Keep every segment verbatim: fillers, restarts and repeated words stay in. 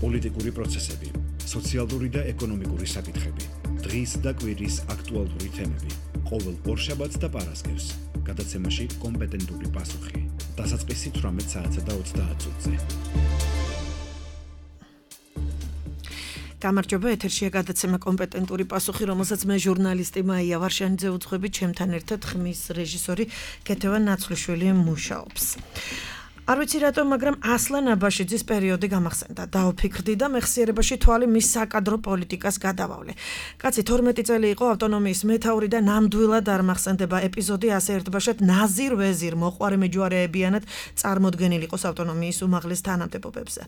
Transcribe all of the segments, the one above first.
პოლიტიკური პროცესები, სოციალური და ეკონომიკური საკითხები, დღის და კვირის აქტუალური თემები, ყოველ ორშაბათს და პარასკევს, გადაცემაში კომპეტენტური პასუხი. დასაწყისი თვრამეტ საათსა და ოცდაათ წუთზე. გამარჯობა, ეთერშია გადაცემა კომპეტენტური პასუხი, რომელსაც მე ჟურნალისტი მაია ვარშანიძე უძღვები, ჩემთან ერთად ხმის რეჟისორი კეთევა ნაცვლიშვილი მუშაობს. არ ვიცი რატომ, მაგრამ ასლან აბაშიძის პერიოდი გამახსენდა. დავფიქრდი და მეხსიერებაში თვალი მის საკადრო პოლიტიკას გადავავლე. კაცი თორმეტი წელი იყო ავტონომიის მეთაური და ნამდვილად არ მახსენდება ეპიზოდი ასე ერთბაშად ნაზირ ვეზირ მოყვარე მეჯვარეებიანად წარმოდგენილი იყოს ავტონომიის უმაღლეს თანამდებობებზე.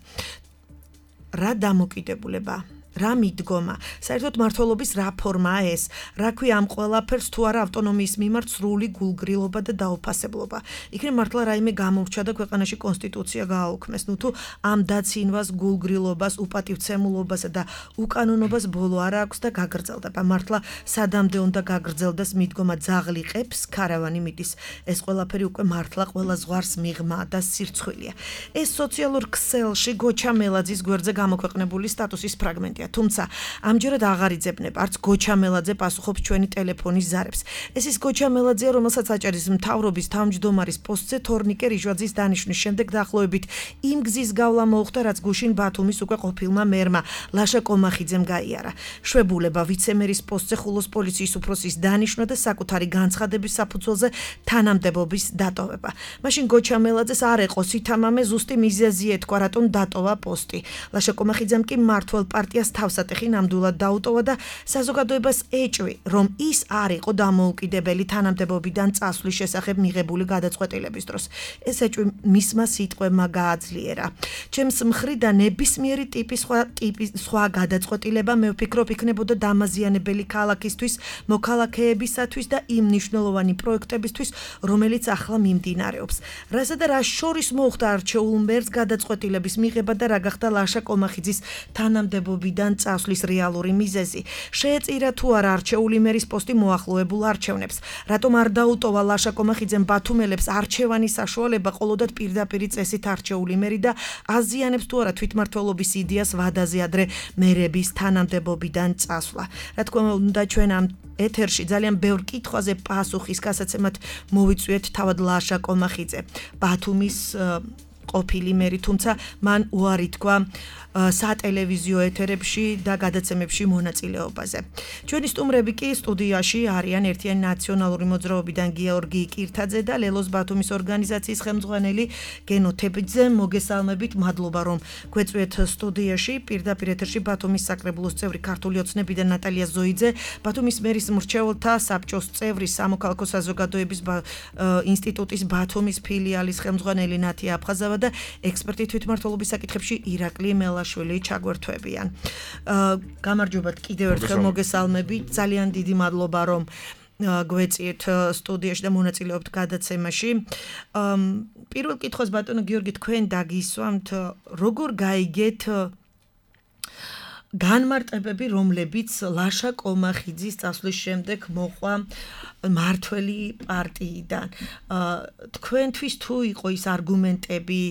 რა დამოკიდებულება? რა მიდგომა? საერთოდ მმართველობის რა ფორმაა ეს? რა ქვია ამ ყველაფერს თუ არა ავტონომიის მიმართ სრული გულგრილობა და დაუფასებლობა? იქნებ მართლა რაიმე გამორჩა და ქვეყანაში კონსტიტუცია გააუქმეს. ნუ თუ ამ დაცინვას, გულგრილობას, უპატივცემულობასა და უკანონობას ბოლო არ აქვს და გაგრძელდება. მართლა სადამდე უნდა გაგრძელდეს მიდგომა ძაღლიყებს, ქარავანი მიდის. ეს ყველაფერი უკვე მართლა ყველა ზღვარს მიღმა და სირცხვილია. ეს სოციალურ ქსელში გოჩა მელაძის გვერდზე გამოქვეყნებული სტატუსის ფრაგმენტია. თუმცა ამჯერად აღარ იძებნება, არც გოჩა მელაძე პასუხობს ჩვენი ტელეფონის ზარებს. ეს ის გოჩა მელაძეა, რომელსაც აჭარის მთავრობის თავმჯდომარის პოსტზე თორნიკე რიჟვაძის დანიშვნის შემდეგ დაახლოებით იმ გზის გავლა მოუხდა, რაც გუშინ ბათუმის უკვე ყოფილმა მერმა ლაშა კომახიძემ გაიარა. შვებულება ვიცემერის პოსტზე ხულოს პოლიციის უფროსის დანიშვნა და საკუთარი განცხადების საფუძველზე თანამდებობის დატოვება. მაშინ გოჩა მელაძეს არ ეყო სითამამე, ზუსტი მიზეზი ეთქვა, რატომ დატოვა პოსტი. ლაშა კომახიძემ კი მმართველ პარტიას თავსატეხი ნამდვილად დაუტოვა და საზოგადოებას ეჭვი, რომ ის არ იყო დამოუკიდებელი თანამდებობიდან წასვლის შესახებ მიღებული გადაწყვეტილების დროს. ეს ეჭვი მისმა სიტყვებმა გააძლიერა. ჩემს მხრიდან ნებისმიერი ტიპის სხვა ტიპის სხვა გადაწყვეტილება მე ვფიქრობ იქნებოდა დამაზიანებელი ქალაქისთვის, მოქალაქეებისათვის და იმ მნიშვნელოვანი პროექტებისთვის, რომელიც ახლა მიმდინარეობს. რასა და რა შორის მოხდა არჩეულ მერს გადაწყვეტილების მიღება და რა გახდა ლაშა კომახიძის თანამდებობიდან წასვლის რეალური მიზეზი. შეეწირა თუ არა არჩეული მერის პოსტი მოახლოებულ არჩევნებს. რატომ არ დაუტოვა ლაშა კომახიძემ ბათუმელებს არჩევანის საშუალება ყოლოდათ პირდაპირი წესით არჩეული მერი და აზიანებს თუ არა თვითმმართველობის იდეას ვადაზე ადრე მერების თანამდებობიდან წასვლა. რა თქმა უნდა, ჩვენ ამ ეთერში ძალიან ბევრ კითხვაზე პასუხის გასაცემად მოვიწვიეთ თავად ლაშა კომახიძე, ბათუმის ყოფილი მერი, თუმცა მან უარი თქვა სატელევიზიო ეთერებში და გადაცემებში მონაწილეობაზე. ჩვენი სტუმრები კი სტუდიაში არიან ერთიანი ნაციონალური მოძრაობიდან გიორგი კირთაძე და ლელოს ბათუმის ორგანიზაციის ხელმძღვანელი გენო თებიძე. მოგესალმებით, მადლობა რომ გვეწვიეთ სტუდიაში. პირდაპირ ეთერში ბათუმის საკრებულოს წევრი ქართული ოცნებიდან ნატალია ზოიძე, ბათუმის მერის მრჩეველთა საბჭოს წევრი, სამოქალაქო საზოგადოების ინსტიტუტის ბათუმის ფილიალის ხელმძღვანელი ნათია აფხაზავა და ექსპერტი თვითმმართველობის საკითხებში ირაკლი მელაშვილი ჩაგვერთვებიან. გამარჯობათ კიდევ ერთხელ, მოგესალმებით. ძალიან დიდი მადლობა რომ გვეწიეთ სტუდიაში და მონაწილეობთ გადაცემაში. პირველ კითხვას ბატონო გიორგი, თქვენ დაგისვამთ, როგორ გაიგეთ განმარტებები, რომლებიც ლაშა კომახიძის წასვლის შემდეგ მოყვა მმართველი პარტიიდან. თქვენთვის თუ იყო ის არგუმენტები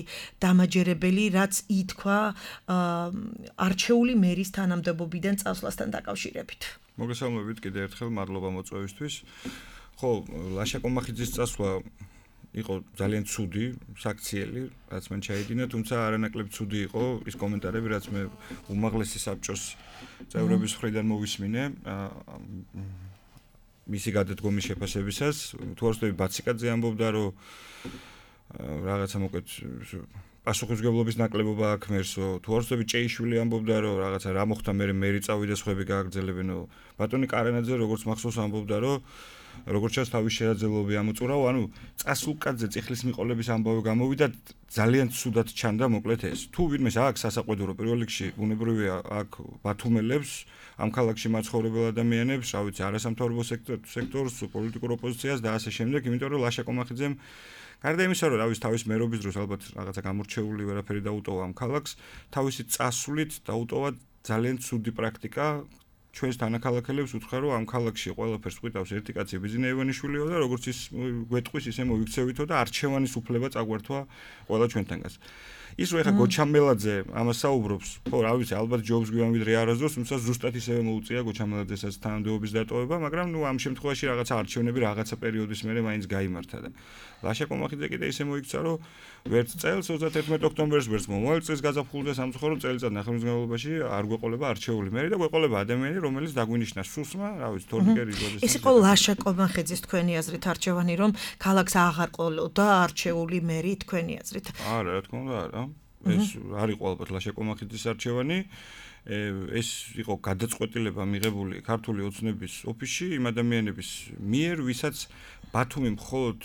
დამაჯერებელი, რაც ითქვა არჩეული მერის თანამდებობიდან წასვლასთან დაკავშირებით? მოგესალმებით კიდევ ერთხელ, მადლობა მოწვევისთვის. ხო, ლაშა კომახიძის წასვლა იყო ძალიან ცუდი, საქციელი, რაც მან ჩაიდინა, თუმცა არანაკლებ ცუდი იყო ის კომენტარები, რაც მე უმაღლესი საბჭოს წევრების მხრიდან მოვისმინე მისი გადადგომის შეფასებისას. თუ არ ვცდები, ბაციკაძე ამბობდა, რომ რაღაცა მოკლედ პასუხისმგებლობის ნაკლებობა აქ მერსო. თუ არ ვცდები, ჭეიშვილი ამბობდა, რომ რაღაცა რა მოხდა, მე მერი წავიდა, სხვები გააგრძელებენო. ბატონი კარენაძე როგორც მახსოვს ამბობდა, რომ როგორც ჩანს თავის შეაძლებლობები ამოწურავ, ანუ წასულკაცზე წიხლის მიყოლების ამბავი გამოვიდა, ძალიან ცუდად ჩანდა მოკლედ ეს. თუ ვინმეს აქვს სასაყვედურო პირველ რიგში, ბუნებრივია აქ ბათუმელებს, ამ ქალაქში მაცხოვრებელ ადამიანებს, რა ვიცი, არასამთავრობო სექტორს, პოლიტიკურ ოპოზიციას და ასე შემდეგ, იმიტომ რომ ლაშა კომახიძემ გარდა იმისა, რომ რავის თავის მერობის დროს ალბათ რაღაცა გამორჩეული ვერაფერი დაუტოვა ამ ქალაქს, თავისი წასვლით დაუტოვა ძალიან ცუდი პრაქტიკა. ჩვენს თანაქალაქელებს უთხრა, რომ ამ ქალაქში ყველაფერს ყვითავს ერთი კაცი ბიზნე ივანიშვილიო და როგორც ის გვეტყვის, ისე მოიქცევითო და არჩევანის უფლება წაგვართვა ყველა ჩვენთანგაც. ის რო ეხა გოჩამელაძე ამას საუბრობს, ხო, რა ვიცი, ალბათ ჯობს გვიან ვიდრე არასდროს, თუმცა ზუსტად ისევე მოუწია გოჩამელაძესაც თანამდებობის დატოვება, მაგრამ ნუ ამ შემთხვევაში რაღაცა არჩევნები რაღაცა პერიოდის მერე მაინც გაიმართა და ლაშა კომახიძე კიდე ისე მოიქცა, რომ ვერც წელს ოცდაათერთმეტ ოქტომბერს ვერც მომავალ წელს გაზაფხულზე სამწუხარო წელიწად ნახევარგრძელობაში არ გვეყოლება არჩეული მერი და გვეყოლება ადამიანი, რომელიც დაგვინიშნა სუსმა, რა ვიცი, თორნიკე რიგვაძეს. ეს იყო ლაშა კომახიძის თქვენი აზრით არჩევანი, რომ ქალაქს აღარ ყოლოდა არჩეული მერი თქვენი აზრით. არა, რა თქმა უნდა, არა. ეს არ იყო ალბათ ლაშა კომახიძის არჩევანი. ეს იყო გადაწყვეტილება მიღებული ქართული ოცნების ოფისში იმ ადამიანების მიერ, ვისაც ბათუმი მხოლოდ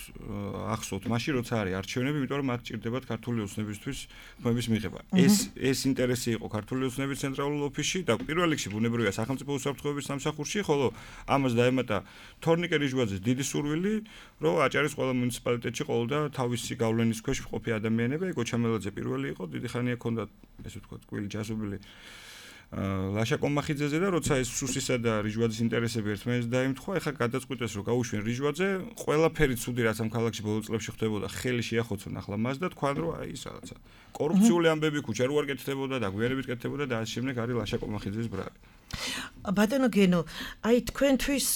ახსოვთ მაშინ როცა არის არჩევნები, იმიტომ რომ მათ ჭირდებათ ქართული ოცნებისთვის თქმების მიღება. ეს ეს ინტერესი იყო ქართული ოცნების ცენტრალურ ოფისში და პირველ რიგში ბუნებრივია სახელმწიფო უსაფრთხოების სამსახურში, ხოლო ამას დაემატა თორნიკე რიჟვაძის დიდი სურვილი, რომ აჭარის ყველა მუნიციპალიტეტში ყოლოდა თავისი გავლენის ქვეშ მყოფი ადამიანები. გოჩამელაძე პირველი იყო, დიდი ხანია ჰქონდა ესე ვთქვათ კვილი ჯასობილი ლაშა კომახიძეზე და როცა ეს სუსისა და რიჟვაძის ინტერესები ერთმანეთს დაემთხვა, ეხლა გადაწყვიტეს რომ გაუშვენ რიჟვაძე, ყველაფერი ცუდი რაც ამ ქალაქში ბოლო წლებში ხდებოდა, ხელი შეახოცონ ახლა მას და თქვან რომ აი ის რაღაცა კორუფციული ამბები ქუჩა რო არ კეთდებოდა და გვიანებით კეთდებოდა და ამ შემდეგ არის ლაშა კომახიძის ბრალი. ბატონო გენო, აი თქვენთვის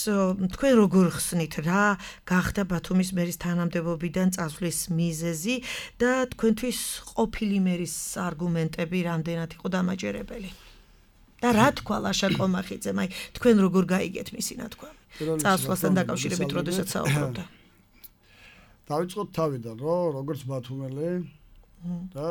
თქვენ როგორ ხსნით რა გახდა ბათუმის მერის თანამდებობიდან წასვლის მიზეზი და თქვენთვის ყოფილი მერის არგუმენტები რამდენად იყო დამაჯერებელი? და რა თქვა ლაშა კომახიძემ, აი თქვენ როგორ გაიგეთ მისი ნათქვამი? წასვლასთან დაკავშირებით როდესაც საუბრობდა. დავიწყოთ თავიდან, რომ როგორც ბათუმელი და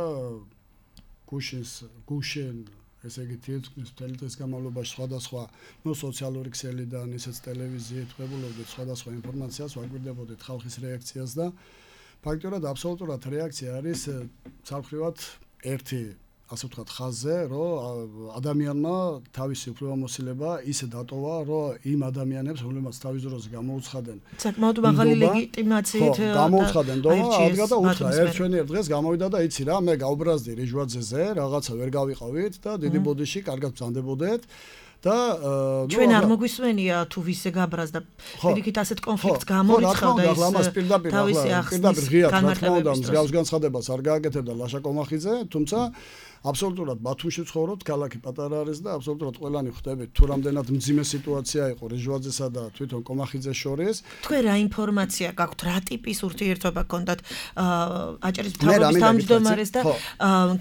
გუშინს გუშინ ესე იგი თითქმის მთელი დღის განმავლობაში სხვადასხვა ნუ სოციალური ქსელიდან, ისეც ტელევიზიით ვებულობდით სხვადასხვა ინფორმაციას, ვაგვირდებოდით ხალხის რეაქციას და ფაქტობრივად აბსოლუტურად რეაქცია არის სამხრივად ერთი ასე ვთქვათ ხაზზე, რომ ადამიანმა თავისი უფლებამოსილება ისე დატოვა, რომ იმ ადამიანებს, რომლებმაც თავის დროზე გამოუცხადნენ საკმაოდ მაღალი ლეგიტიმაციით გამოუცხადნენ და ადგა და უთხრა ერთვენიერ დღეს გამოვიდა და იცი რა, მე გავბრაზდი რიჟვაძეზე, რაღაცა ვერ გავიყავით და დიდი ბოდიში კარგად ბრძანდებოდეთ. და ჩვენ არ მოგვისმენია თუ ვისე გაბრაზდა პირიქით ასეთ კონფლიქტს გამორიცხავდა ის თავისი ახსნის განმარტებების მსგავს განცხადებას არ გააკეთებდა ლაშა კომახიძე, თუმცა აბსოლუტურად ბათუმში ცხოვრობთ, ქალაქი პატარა არის და აბსოლუტურად ყველანი ხვდებით თუ რამდენად მძიმე სიტუაცია იყო რიჟვაძესა და თვითონ კომახიძეს შორის. თქვენ რა ინფორმაცია გაქვთ, რა ტიპის ურთიერთობა გქონდათ აჭარის მთავრობის თავმჯდომარეს და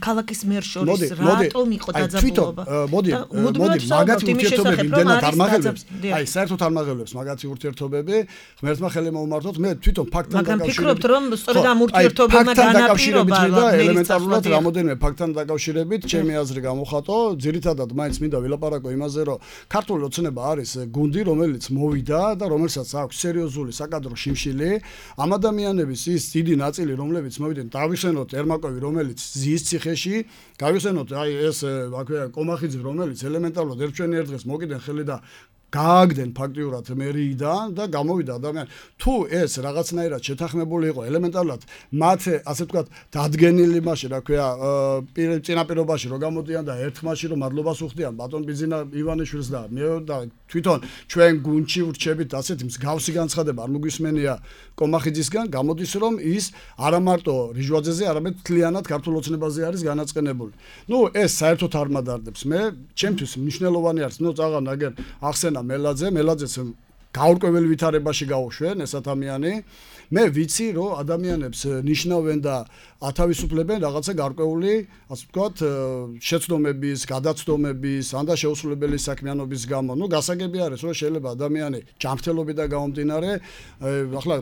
ქალაქის მერს შორის, რატომ იყო დაძაბულობა? მოდი, მოდი, მაგათი ურთიერთობები იმდენად არ მაღლებს. აი, საერთოდ არ მაღლებს მაგათი ურთიერთობები. ღმერთმა ხელი მოუმართოთ, მე თვითონ ფაქტთან დაკავშირებით. მაგრამ ფიქრობთ, რომ სწორედ ამ ურთიერთობებმა განაპირობა ელემენტარულად რამოდენიმე ფაქტთან დაკავშირებით ჩემი აზრი გამოხატო, ძირითადად მაინც მინდა ვილაპარაკო იმაზე, რომ ქართული ოცნება არის გუნდი, რომელიც მოვიდა და რომელსაც აქვს სერიოზული საკადრო შიმშილი. ამ ადამიანების ის დიდი ნაწილი, რომლებიც მოვიდნენ, დავიხსენოთ ერმაკოვი, რომელიც ზის ციხეში, გავიხსენოთ აი ეს აქვე კომახიძე, რომელიც ელემენტარულად ერთვენიერ დღეს მოკიდნენ ხელი და გააგდნენ ფაქტიურად მერიიდან და გამოვიდა ადამიანი. თუ ეს რაღაცნაირად შეთანხმებული იყო ელემენტარულად მათ ასე ვთქვათ დადგენილი მასში, რა ქვია, წინაპირობაში რომ გამოდიან და ერთხმაში რომ მადლობას უხდიან ბატონ ბიზინა ივანიშვილს და მე და თვითონ ჩვენ გუნდში ვრჩებით ასეთი მსგავსი განცხადება არ მოგვისმენია კომახიძისგან, გამოდის რომ ის არა მარტო რიჟვაძეზე, არამედ მთლიანად ქართულ ოცნებაზე არის განაწყენებული. ნუ ეს საერთოდ არ მადარდებს. მე ჩემთვის მნიშვნელოვანი არის, ნუ წაღან აგერ ახსენა მელაძე, მელაძეს გაურკვეველ ვითარებაში გაუშვენ ეს ადამიანი. მე ვიცი, რომ ადამიანებს ნიშნავენ და ათავისუფლებენ რაღაცა გარკვეული, ასე ვთქვათ, შეცდომების, გადაცდომების, ან და შეუსრულებელი საქმიანობის გამო. ნუ გასაგები არის, რომ შეიძლება ადამიანი ჯანმრთელობიდან გამომდინარე, ახლა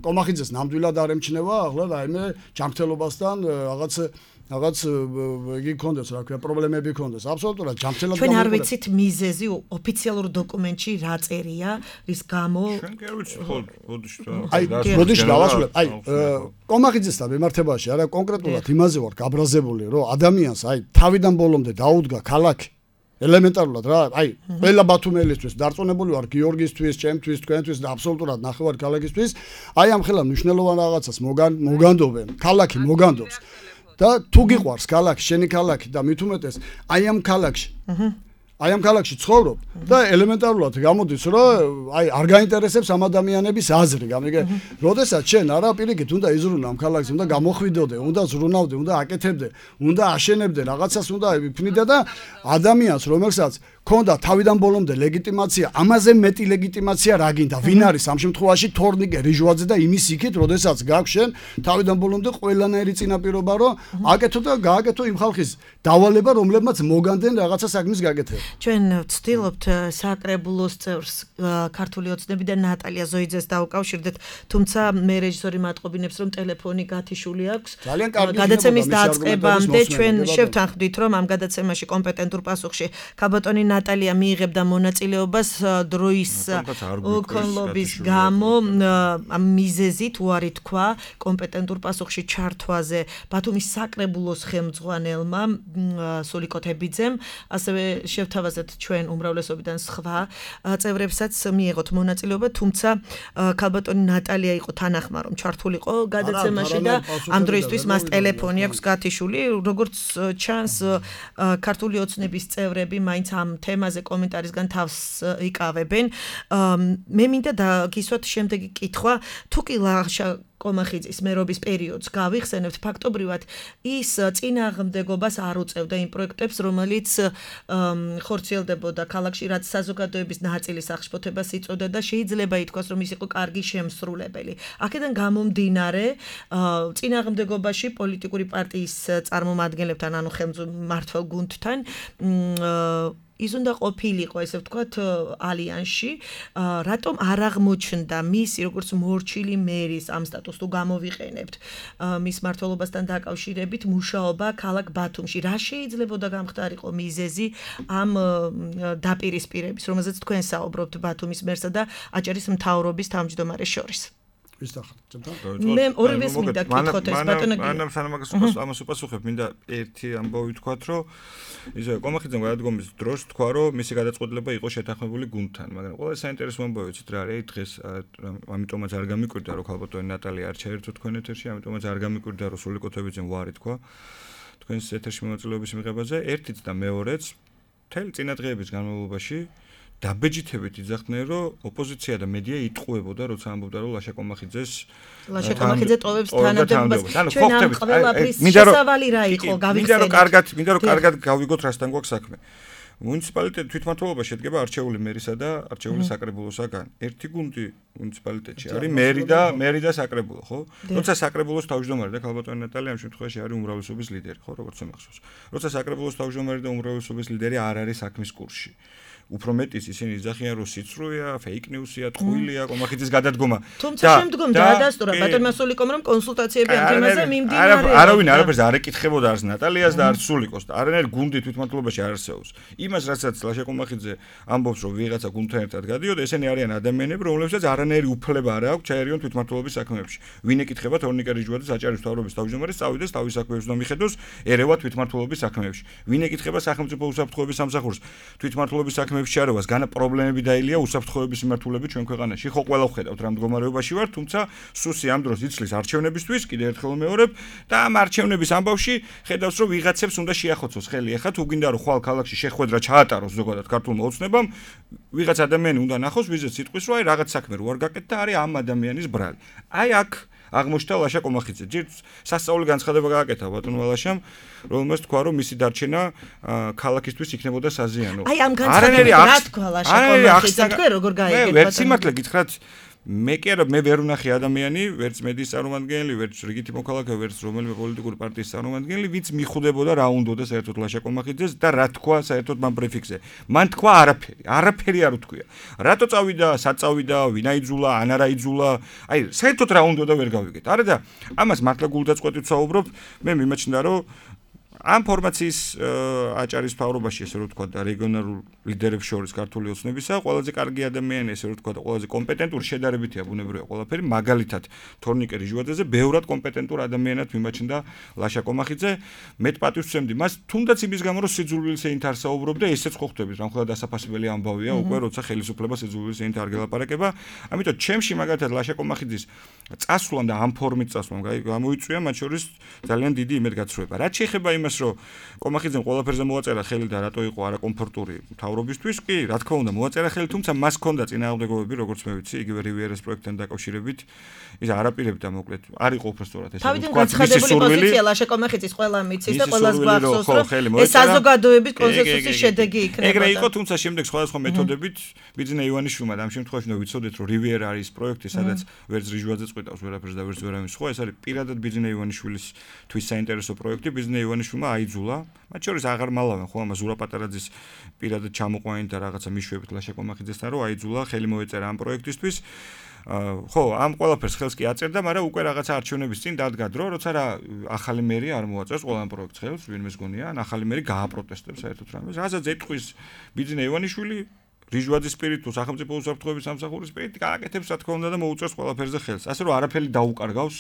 კომახიძეს ნამდვილად არ ემჩნევა, ახლა რაიმე ჯანმრთელობასთან რაღაც რაღაც იგი ქონდეს, რა ქვია, პრობლემები ქონდეს. აბსოლუტურად ჯანმრთელად ჩვენ არ ვიცით მიზეზი ოფიციალურ დოკუმენტში რა წერია, რის გამო ჩვენ კი არ ვიცით, ხო, ბოდიში. აი, ბოდიში დავასრულებ. აი, კომახიძესთან მიმართებაში არა კონკრეტულად იმაზე ვარ გაბრაზებული, რომ ადამიანს აი თავიდან ბოლომდე დაუდგა ქალაქი ელემენტარულად რა, აი, ყველა ბათუმელისთვის დარწმუნებული ვარ გიორგისთვის, ჩემთვის, თქვენთვის და აბსოლუტურად ნახევარ ქალაქისთვის, აი ამ ხელა მნიშვნელოვან რაღაცას მოგანდობენ, ქალაქი მოგანდობს. და თუ გიყვარს ქალაქი, შენი ქალაქი და მით უმეტეს აი ამ ქალაქში აი ამ ქალაქში ცხოვრობ და ელემენტარულად გამოდის რომ აი არ გაინტერესებს ამ ადამიანების აზრი, გამიგე? როდესაც შენ არა პირიქით უნდა იზრუნო ამ ქალაქზე, უნდა გამოხვიდოდე, უნდა ზრუნავდე, უნდა აკეთებდე, უნდა აშენებდე, რაღაცას უნდა ვიფნიდე და ადამიანს რომელსაც ქონდა თავიდან ბოლომდე ლეგიტიმაცია, ამაზე მეტი ლეგიტიმაცია რა გინდა? ვინ არის ამ შემთხვევაში თორნიკე რიჟვაძე და იმის იქით, როდესაც გაქვს შენ თავიდან ბოლომდე ყველანაირი წინაპირობა, რომ აკეთო და გააკეთო იმ ხალხის დავალება, რომლებმაც მოგანდენ რაღაცა საქმის გაკეთება. ჩვენ ვცდილობთ საკრებულოს წევრს ქართული ოცნები და ნატალია ზოიძეს დავუკავშირდეთ, თუმცა მე რეჟისორი მატყობინებს, რომ ტელეფონი გათიშული აქვს. გადაცემის დაწყებამდე ჩვენ შევთანხმდით, რომ ამ გადაცემაში კომპეტენტურ პასუხში ქაბატონი ნატალია მიიღებდა მონაწილეობას დროის ოკონლობის გამო ამ მიზეზით უარი თქვა კომპეტენტურ პასუხში ჩართვაზე ბათუმის საკრებულოს ხელმძღვანელმა სულიკო თებიძემ, ასევე შევთავაზეთ ჩვენ უმრავლესობიდან სხვა წევრებსაც მიიღოთ მონაწილეობა, თუმცა ქალბატონი ნატალია იყო თანახმა, რომ ჩართულიყო გადაცემაში და ამ დროისთვის მას ტელეფონი აქვს გათიშული, როგორც ჩანს ქართული ოცნების წევრები მაინც ამ თემაზე კომენტარისგან თავს იკავებენ. მე მინდა დაგისვათ შემდეგი კითხვა, თუ კი ლაშა კომახიძის მერობის პერიოდს გავიხსენებთ, ფაქტობრივად ის წინააღმდეგობას არ უწევდა იმ პროექტებს, რომელიც ხორციელდებოდა ქალაქში, რაც საზოგადოების ნაწილის აღშფოთებას იწვევდა და შეიძლება ითქვას, რომ ის იყო კარგი შემსრულებელი. აქედან გამომდინარე, წინააღმდეგობაში პოლიტიკური პარტიის წარმომადგენლებთან, ანუ ხელმძღვანელ გუნდთან ის უნდა ყოფილიყო, ესე ვთქვათ, ალიანსში, რატომ არ აღმოჩნდა მისი როგორც მორჩილი მერის ამ სტატუსს თუ გამოვიყენებთ მის მმართველობასთან დაკავშირებით მუშაობა ქალაქ ბათუმში. რა შეიძლებოდა გამხდარიყო მიზეზი ამ დაპირისპირების, რომელზეც თქვენ საუბრობთ ბათუმის მერსა და აჭარის მთავრობის თავმჯდომარეს შორის? მე ორივეს მინდა გითხოთ ეს ბატონო. მანამ სანამ ამას უპასუხებ, მინდა ერთი ამბავი ვთქვათ, რომ ისე კომახიძემ გადადგომის დროს თქვა, რომ მისი გადაწყვეტილება იყო შეთანხმებული გუნდთან, მაგრამ ყველა საინტერესო ამბავი ვიცით რა არის, დღეს ამიტომაც არ გამიკვირდა, რომ ქალბატონი ნატალია არ ჩაერთო თქვენ ეთერში, ამიტომაც არ გამიკვირდა, რომ სულიკო თებიძემ ვარი თქვა თქვენს ეთერში მონაწილეობის მიღებაზე, ერთიც და მეორეც მთელი წინადღეების განმავლობაში დაბეჯითებით იძახდნენ, რომ ოპოზიცია და მედია იტყუებოდა, როცა ამბობდა, რომ ლაშა კომახიძეს ლაშა კომახიძე ტოვებს თანამდებობას. ჩვენ ამ ყველაფრის შესავალი რა იყო, გავიხსენეთ. მინდა რომ კარგად, მინდა რომ კარგად გავიგოთ, რასთან გვაქვს საქმე. მუნიციპალიტეტი თვითმმართველობა შედგება არჩეული მერისა და არჩეული საკრებულოსაგან. ერთი გუნდი მუნიციპალიტეტში არის მერი და მერი და საკრებულო, ხო? როცა საკრებულოს თავმჯდომარე და ქალბატონი ნატალია ამ შემთხვევაში არის უმრავლესობის ლიდერი, ხო, როგორც მახსოვს. როცა საკრებულოს თავმჯდომარე და უმრავლესობის ლიდერი არ არის საქმის კურსში. უფრო მეტიც ისინი იძახიან, რომ სიცრუეა, fake news-ია, ტყუილია, კომახიძის გადადგომა. თუმცა შემდგომ დაადასტურა ბატონმა სულიკომ, რომ კონსულტაციები ამ თემაზე მიმდინარეობდა. არავინ არაფერს არ ეკითხებოდა არც ნატალიას და არც სულიკოს და არანაირ გუნდი თვითმმართველობაში არ არსებობს. იმას, რასაც ლაშა კომახიძე ამბობს, რომ ვიღაცა გუნდთან ერთად გადიოდა, ესენი არიან ადამიანები, რომლებსაც არანაირი უფლება არ აქვს ჩაერიონ თვითმმართველობის საქმეებში. ვინ ეკითხება თორნიკე რიჟვაძეს აჭარის მთავრობის თავმჯდომარეს, წავიდეს თავის საქმეებს და მიხედოს ერევა თვითმმართველობის საქმეებში. ვინ ეკითხება სახელმწიფო უსაფრთხოების სამსახურს თვითმმართველობის საქმეებში შარებას განა პრობლემები დაილია უსაფრთხოების მიმართულებით ჩვენ ქვეყანაში. ხო, ყველა ვხედავთ რა მდგომარეობაში ვარ, თუმცა სუსი ამ დროს იცლის არჩევნებისთვის, კიდე ერთხელ მეორებ და ამ არჩევნების ამბავში ხედავს, რომ ვიღაცებს უნდა შეახოცოს ხელი. ეხლა თუ გინდა რომ ხვალ ქალაქში შეხვედრა ჩაატაროს ზოგადად ქართულმა ოცნებამ, ვიღაც ადამიანი უნდა ნახოს ვიზეთ სიტყვის, რომ აი რაღაც საქმე რო არ გაკეთდა, არის ამ ადამიანის ბრალი. აი აქ აღმოჩნდა ლაშა კომახიძე. ჯერ სასწაული განცხადება გააკეთა ბატონმა ლაშამ, რომელმაც თქვა, რომ მისი დარჩენა ქალაქისთვის იქნებოდა საზიანო. აი ამ განცხადებით რა თქვა ლაშა კომახიძე, თქვენ როგორ გაიგეთ? მე ვერ სიმართლე გითხრათ, მე კი არა, მე ვერ ვნახე ადამიანი, ვერც მედიის წარმომადგენელი, ვერც რიგითი მოქალაქე, ვერც რომელიმე პოლიტიკური პარტიის წარმომადგენელი, ვინც მიხვდებოდა რა უნდოდა საერთოდ ლაშა კომახიძეს და რა თქვა საერთოდ მან ბრიფინგზე. მან თქვა არაფერი, არაფერი არ უთქვია. რატო წავიდა, სად წავიდა, ვინ აიძულა, ან არა აიძულა, აი საერთოდ რა უნდოდა ვერ გავიგეთ. არა და ამას მართლა გულდაწყვეტით საუბრობ, მე მიმაჩნდა რომ ამ ფორმაციის აჭარის მთავრობაში, ესე რომ ვთქვა, და რეგიონალურ ლიდერებს შორის ქართული ოცნებისა, ყველაზე კარგი ადამიანი, ესე რომ ვთქვა, და ყველაზე კომპეტენტური შედარებითია ბუნებრივია ყველაფერი, მაგალითად თორნიკე რიჟვაძეზე ბევრად კომპეტენტურ ადამიანად მიმაჩნდა ლაშა კომახიძე. მეტ პატივს ვცემდი მას, თუნდაც იმის გამო, რომ სიძულვილის ენით არ საუბრობდა, ესეც ხო ხვდებით, რამხელა დასაფასებელი ამბავია, უკვე როცა ხელისუფლება სიძულვილის ენით არ გელაპარაკება. ამიტომ ჩემში მაგალითად ლაშა კომახიძის წასვლამ და ამ ფორმით წასვლამ გამოიწვია მათ შორის ძალიან დიდი იმედგაცრუება. რაც შეეხება იმ იმას, რომ კომახიძემ ყველაფერზე მოაწერა ხელი და რატო იყო არაკომფორტური მთავრობისთვის, კი, რა თქმა უნდა, მოაწერა ხელი, თუმცა მას ჰქონდა წინააღმდეგობები, როგორც მე ვიცი, იგივე რივიერას პროექტთან დაკავშირებით, ის არაპირებდა მოკლედ, არ იყო უბრალოდ ეს თქვა, ცხადებული პოზიცია ლაშა კომახიძის ყველა მიცის და ყველას გვახსოვს, რომ ეს საზოგადოების კონსენსუსის შედეგი იქნება. ეგრე იყო, თუმცა შემდეგ სხვადასხვა მეთოდებით ბიძინა ივანიშვილმა და ამ შემთხვევაში ნუ ვიცოდეთ, რომ რივიერა არის პროექტი, სადაც ვერც რიჟვაძე წყვიტავს ვერაფერს და ვერც ვერავინ სხვა, ეს არის პირადად ბიძინა ივანიშვილის თვის საინტერესო პროექტი, ბიძინა ივანიშვილმა აიძულა, მათ შორის აღარ მალავენ ხო ამას ზურა პატარაძის პირადად ჩამოყვანით და რაღაცა მიშვებით ლაშა კომახიძესთან, რომ აიძულა, ხელი მოეწერა ამ პროექტისთვის. ხო, ამ ყველაფერს ხელს კი აწერდა, მაგრამ უკვე რაღაცა არჩევნების წინ დადგა დრო, როცა რა ახალი მერი არ მოაწერს ყველა ამ პროექტს ხელს, ვინმეს გონია, ან ახალი მერი გააპროტესტებს საერთოდ რამეს. რასაც ეთქვის ბიძინა ივანიშვილი რიჟვაძის სპირით თუ სახელმწიფო უსაფრთხოების სამსახურის სპირით გააკეთებს რა თქმა უნდა და მოუწევს ყველაფერზე ხელს. ასე რომ არაფერი დაუკარგავს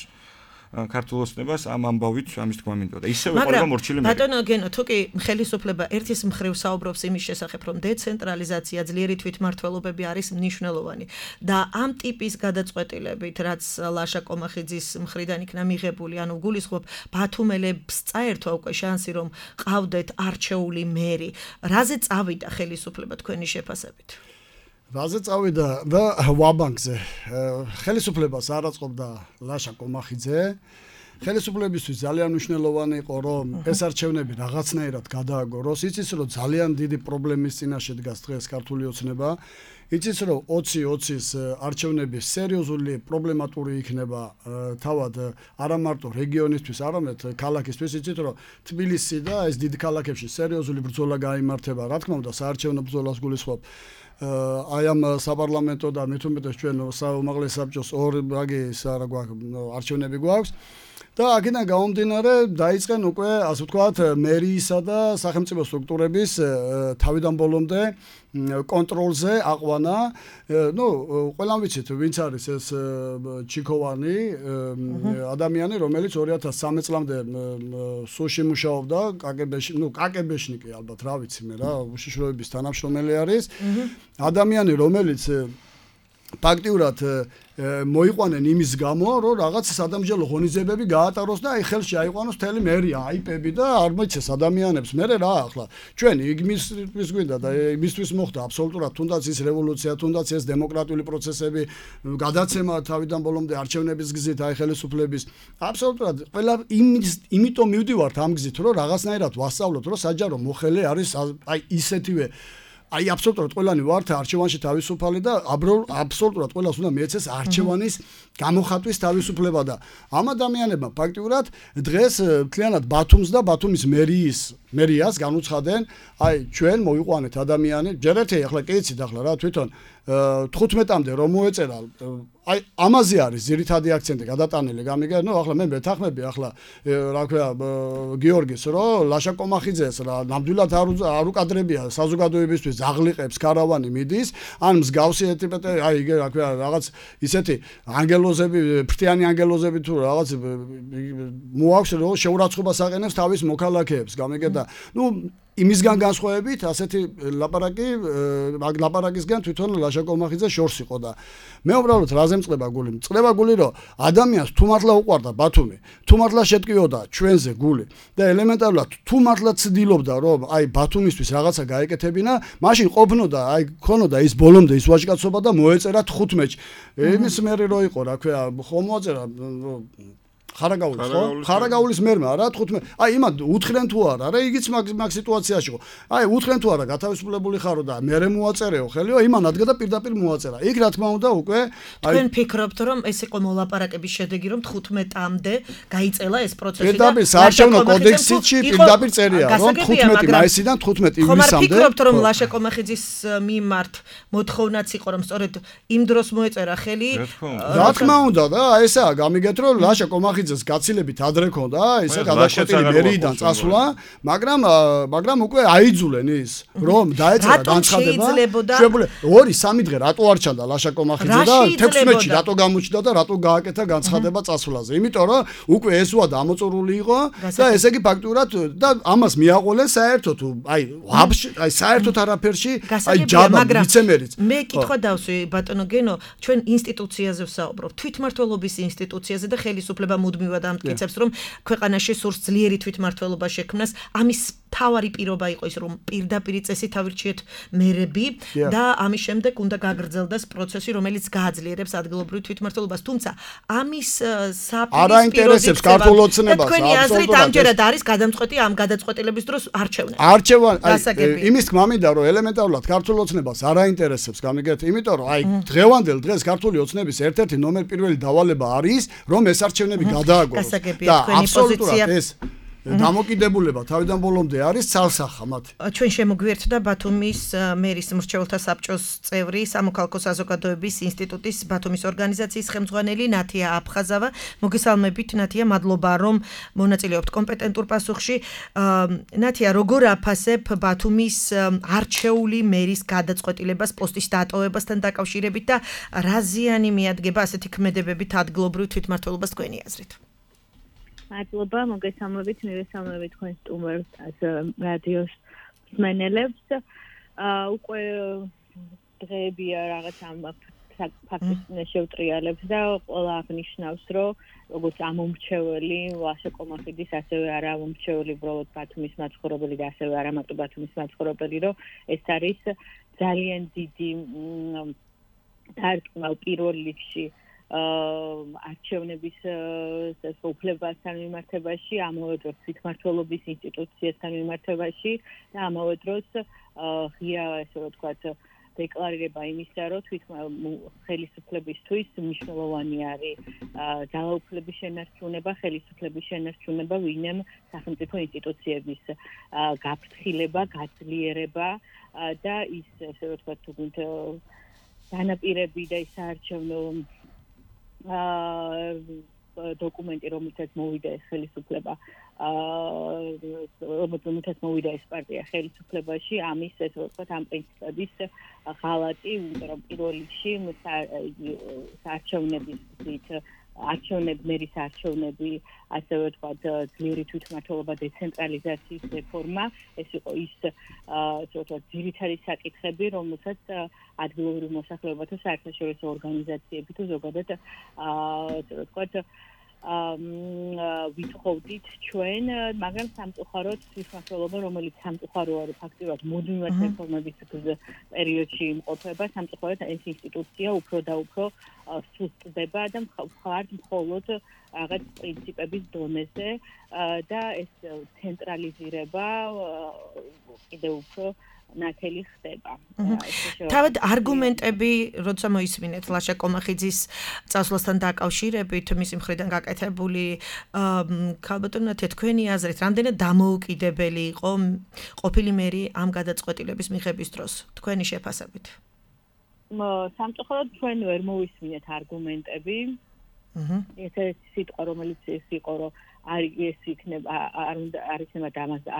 ქართულ ოცნებას ამ ამბავით ამის თქმა მინდოდა და ისევე ყველა მორჩილი მე. ბატონო გენო, თუ კი ხელისუფლება ერთის მხრივ საუბრობს იმის შესახებ, რომ დეცენტრალიზაცია, ძლიერი თვითმმართველობები არის მნიშვნელოვანი და ამ ტიპის გადაწყვეტილებით, რაც ლაშა კომახიძის მხრიდან იქნა მიღებული, ანუ გულისხმობ ბათუმელებს წაერთვა უკვე შანსი, რომ ყავდეთ არჩეული მერი. რაზე წავიდა ხელისუფლება თქვენი შეფასებით? რაზე წავიდა და ვაბანკზე ხელისუფლებას არ აწყობდა ლაშა კომახიძე. ხელისუფლებისთვის ძალიან მნიშვნელოვანი იყო, რომ ეს არჩევნები რაღაცნაირად გადააგოროს. იცის, რომ ძალიან დიდი პრობლემის წინაშე დგას დღეს ქართული ოცნება. იცის, რომ ოცი ოცის არჩევნები სერიოზული პრობლემატური იქნება თავად არა მარტო რეგიონისთვის, არამედ ქალაქისთვის. იცით, რომ თბილისი და ეს დიდი ქალაქებში სერიოზული ბრძოლა გაიმართება. რა თქმა უნდა, საარჩევნო ბრძოლას გულისხმობ აი ამ საპარლამენტო და მით უმეტეს ჩვენ საუმაღლეს საბჭოს ორ რაგი რა გვაქვს არჩევნები გვაქვს და აქედან გამომდინარე დაიწყენ უკვე ასე ვთქვათ მერიისა და სახელმწიფო სტრუქტურების თავიდან ბოლომდე კონტროლზე აყვანა. ნუ ყველამ ვიცით ვინც არის ეს ჩიქოვანი ადამიანი, რომელიც ორი ათას სამი წლამდე სუში მუშაობდა კაგებეში, ნუ კაგებეშნიკი ალბათ რა ვიცი მე რა, უშიშროების თანამშრომელი არის. ადამიანი, რომელიც ფაქტიურად მოიყვანენ იმის გამო, რომ რაღაც სადამსჯელო ღონისძიებები გაატაროს და აი ხელში აიყვანოს მთელი მერია, აიპები და არ მოიცეს ადამიანებს. მე რა ახლა ჩვენ იმისთვის გვინდა და იმისთვის მოხდა აბსოლუტურად თუნდაც ის რევოლუცია, თუნდაც ეს დემოკრატიული პროცესები, გადაცემა თავიდან ბოლომდე არჩევნების გზით აი ხელისუფლების. აბსოლუტურად ყველა იმის იმიტომ მივდივართ ამ გზით, რომ რაღაცნაირად ვასწავლოთ, რომ საჯარო მოხელე არის აი ისეთივე აი აბსოლუტურად ყველანი ვართ არჩევანში თავისუფალი და აბსოლუტურად ყველას უნდა მიეცეს არჩევანის გამოხატვის თავისუფლება და ამ ადამიანებმა ფაქტიურად დღეს მთლიანად ბათუმს და ბათუმის მერიის მერიას განუცხადნენ აი ჩვენ მოვიყვანეთ ადამიანი ჯერ ერთი ახლა კი იცით ახლა რა თვითონ თხუთმეტამდე რომ მოეწერა აი ამაზე არის ძირითადი აქცენტი გადატანილი გამიგე ნუ ახლა მე მეთანხმები ახლა რა ქვია გიორგის რომ ლაშა კომახიძეს რა ნამდვილად არ უკადრებია საზოგადოებისთვის ზაღლიყებს კარავანი მიდის ან მსგავსი ეტიპეტე აი იგე რა ქვია რაღაც ისეთი ანგელოზები ფრთიანი ანგელოზები თუ რაღაც მოაქვს რომ შეურაცხყოფას აყენებს თავის მოქალაქეებს გამიგე და ნუ იმისგან განსხვავებით ასეთი ლაპარაკი ლაპარაკისგან თვითონ ლაშა კომახიძე შორს იყო და მე უბრალოდ რაზე მწყდება გული მწყდება გული რომ ადამიანს თუ მართლა უყვარდა ბათუმი თუ მართლა შეტკიოდა ჩვენზე გული და ელემენტარულად თუ მართლა ცდილობდა რომ აი ბათუმისთვის რაღაცა გაეკეთებინა მაშინ ყოფნოდა აი ქონოდა ის ბოლომდე ის ვაჟკაცობა და მოეწერა თხუთმეტში იმის მერე რო იყო რა ქვია ხომ მოაწერა ხარაგაულის ხო? ხარაგაულის მერმა რა თხუთმეტ აი იმან უთხრენ თუ არა რა იგიც მაგ მაგ სიტუაციაში ხო აი უთხრენ თუ არა გათავისუფლებული ხარო და მერე მოაწერეო ხელიო იმან ადგა და პირდაპირ მოაწერა იქ რა თქმა უნდა უკვე აი თქვენ ფიქრობთ რომ ეს იყო მოლაპარაკების შედეგი რომ თხუთმეტამდე გაიწელა ეს პროცესი და პირდაპირ საარჩევნო კოდექსში პირდაპირ წერია რომ თხუთმეტი მაისიდან თხუთმეტი ივნისამდე ხომ არ ფიქრობთ რომ ლაშა კომახიძის მიმართ მოთხოვნაც იყო რომ სწორედ იმ დროს მოეწერა ხელი რა თქმა უნდა და ესაა გამიგეთ რომ ლაშა კომახიძე ძეს გაცილებით ადრე ქონდა ისე გადაწყვეტილი მერიიდან წასვლა მაგრამ მაგრამ უკვე აიძულენ ის რომ დაეწერა განცხადება შეიძლება ორი სამი დღე რატო არ ჩანდა ლაშა კომახიძე და თექვსმეტში რატო გამოჩნდა და რატო გააკეთა განცხადება წასვლაზე იმიტომ რომ უკვე ეს ვა დამოწურული იყო და ესე იგი ფაქტურად და ამას მიაყოლენ საერთოდ აი აი საერთოდ არაფერში აი ჯაბა ვიცემერიც მე კითხვა დავსვი ბატონო გენო ჩვენ ინსტიტუციაზე ვსაუბრობ თვითმმართველობის ინსტიტუციაზე და ხელისუფლება მუდმივად ამტკიცებს, რომ ქვეყანაში სურს ძლიერი თვითმმართველობა შექმნას. ამის თავარი პირობა იყო ის, რომ პირდაპირ წესით ავირჩიეთ მერები და ამის შემდეგ უნდა გაგრძელდეს პროცესი, რომელიც გააძლიერებს ადგილობრივ თვითმმართველობას. თუმცა ამის საპირისპირო არაინტერესებს ქართულ ოცნებას. თქვენი აზრით ამჯერად არის გადამწყვეტი ამ გადაწყვეტილების დროს არჩევნა. არჩევან იმის თქმა მინდა რომ ელემენტარულად ქართულ ოცნებას არაინტერესებს გამიგეთ, იმიტომ რომ აი დღევანდელ დღეს ქართული ოცნების ერთ-ერთი ნომერ პირველი დავალება არის რომ ეს არჩევნები გადააგოროს და აბსოლუტურად ეს დამოკიდებულება თავიდან ბოლომდე არის ცალსახა მათ. ჩვენ შემოგვიერთდა ბათუმის მერის მრჩეველთა საბჭოს წევრი, სამოქალაქო საზოგადოების ინსტიტუტის ბათუმის ორგანიზაციის ხელმძღვანელი ნათია აფხაზავა. მოგესალმებით ნათია, მადლობა რომ მონაწილეობთ კომპეტენტურ პასუხში. ნათია, როგორ აფასებ ბათუმის არჩეული მერის გადაწყვეტილებას პოსტის დატოვებასთან დაკავშირებით და რა ზიანი მიადგება ასეთი ქმედებებით ადგილობრივ თვითმმართველობას თქვენი აზრით? მადლობა, მოგესალმებით, მივესალმებით თქვენ სტუმარს, რადიოს მსმენელებს. უკვე დღეებია რაღაც ამ ფაქტის შევტრიალებს და ყველა აღნიშნავს, რომ როგორც ამომრჩეველი ლაშა კომახიდის, ასევე არა ამომრჩეველი უბრალოდ ბათუმის მაცხოვრებელი და ასევე არა მარტო ბათუმის მაცხოვრებელი, რომ ეს არის ძალიან დიდი დარტყმა პირველ რიგში არჩევნების უფლებასთან მიმართებაში, ამავე დროს თვითმმართველობის ინსტიტუციასთან მიმართებაში და ამავე დროს ღია, ესე რომ ვთქვათ, დეკლარირება იმისა, რომ ხელისუფლებისთვის მნიშვნელოვანი არის ძალაუფლების შენარჩუნება, ხელისუფლების შენარჩუნება, ვინმე სახელმწიფო ინსტიტუციების გაფრთხილება, გაძლიერება და ის, ესე რომ ვთქვათ, თუნდაც განაპირები და ის საარჩევნო დოკუმენტი, რომელსაც მოვიდა ეს ხელისუფლება, რომელსაც მოვიდა ეს პარტია ხელისუფლებაში, ამის ესე ვთქვათ, ამ პრინციპების ღალატი, იმიტომ რომ პირველ რიგში საარჩევნების არჩევნები, მერის არჩევნები, ასევე ვთქვათ, ძლიერი თვითმმართველობა, დეცენტრალიზაციის რეფორმა, ეს იყო ის, ასე ვთქვათ, ძირითადი საკითხები, რომელსაც ადგილობრივ მოსახლეობათა საერთაშორისო ორგანიზაციები თუ ზოგადად, ასე ვთქვათ, ვითხოვდით ჩვენ, მაგრამ სამწუხაროდ თვითმმართველობა, რომელიც სამწუხარო არის ფაქტიურად მუდმივად რეფორმების პერიოდში იმყოფება, სამწუხაროდ ეს ინსტიტუცია უფრო და უფრო სუსტდება და მხართ მხოლოდ რაღაც პრინციპების დონეზე და ეს ცენტრალიზირება კიდევ უფრო ნათელი ხდება. თავად არგუმენტები, როცა მოისმინეთ ლაშა კომახიძის წასვლასთან დაკავშირებით, მისი მხრიდან გაკეთებული, ქალბატონო ნათია, თქვენი აზრით, რამდენად დამოუკიდებელი იყო ყოფილი მერი ამ გადაწყვეტილების მიღების დროს, თქვენი შეფასებით? სამწუხაროდ ჩვენ ვერ მოვისმინეთ არგუმენტები. ეს სიტყვა, რომელიც ეს იყო, რომ არის იქნება არ უნდა არ იქნება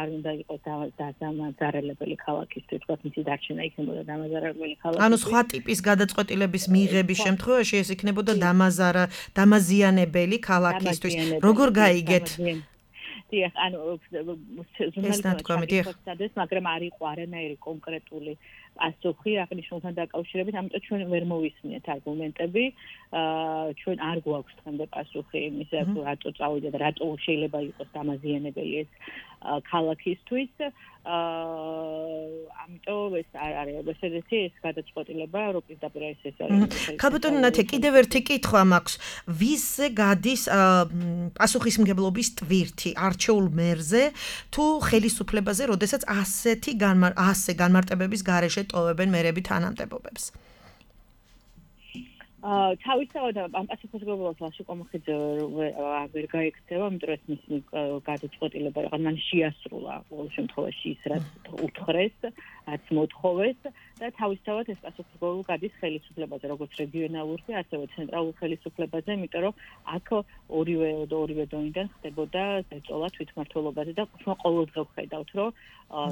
არ უნდა იყოს დამაზარალებელი ქალაქისთვის, თქვა მისი დარჩენა იქნებოდა დამაზარალებელი ქალაქი. ანუ სხვა ტიპის გადაწყვეტილების მიღების შემთხვევაში ეს იქნებოდა დამაზარა დამაზიანებელი ქალაქისთვის. როგორ გაიგეთ? დიახ, ანუ ჟურნალისტებს, მაგრამ არ იყო არანაირი კონკრეტული პასუხი აღნიშნულთან დაკავშირებით, ამიტომ ჩვენ ვერ მოვისმინეთ არგუმენტები. ჩვენ არ გვაქვს დღემდე პასუხი იმისა, რატო წავიდა და რატო შეიძლება იყოს დამაზიანებელი ეს ქალაქისთვის. ამიტომ ეს არ არის ესეთი ეს გადაწყვეტილება, რომ პირდაპირ ეს ეს არის. ქალბატონო ნათია, კიდევ ერთი კითხვა მაქვს. ვისზე გადის პასუხისმგებლობის ტვირთი არჩეულ მერზე თუ ხელისუფლებაზე, როდესაც ასეთი ასე განმარტებების გარეშე ტოვებენ მერები თანამდებობებს? თავისთავად ამ პასუხისმგებლობას ლაშა კომახიძე ვერ გაიქცევა, იმიტომ რომ მისი გადაწყვეტილება რაღაც მან შეასრულა ყოველ შემთხვევაში ის რაც უთხრეს, რაც მოთხოვეს და თავისთავად ეს პასუხისმგებლობა გადის ხელისუფლებაზე, როგორც რეგიონალურ, ასევე ცენტრალურ ხელისუფლებაზე, იმიტომ რომ აქ ორივე ორივე დონიდან ხდებოდა ზეწოლა თვითმმართველობაზე და ჩვენ ყოველდღე ვხედავთ, რომ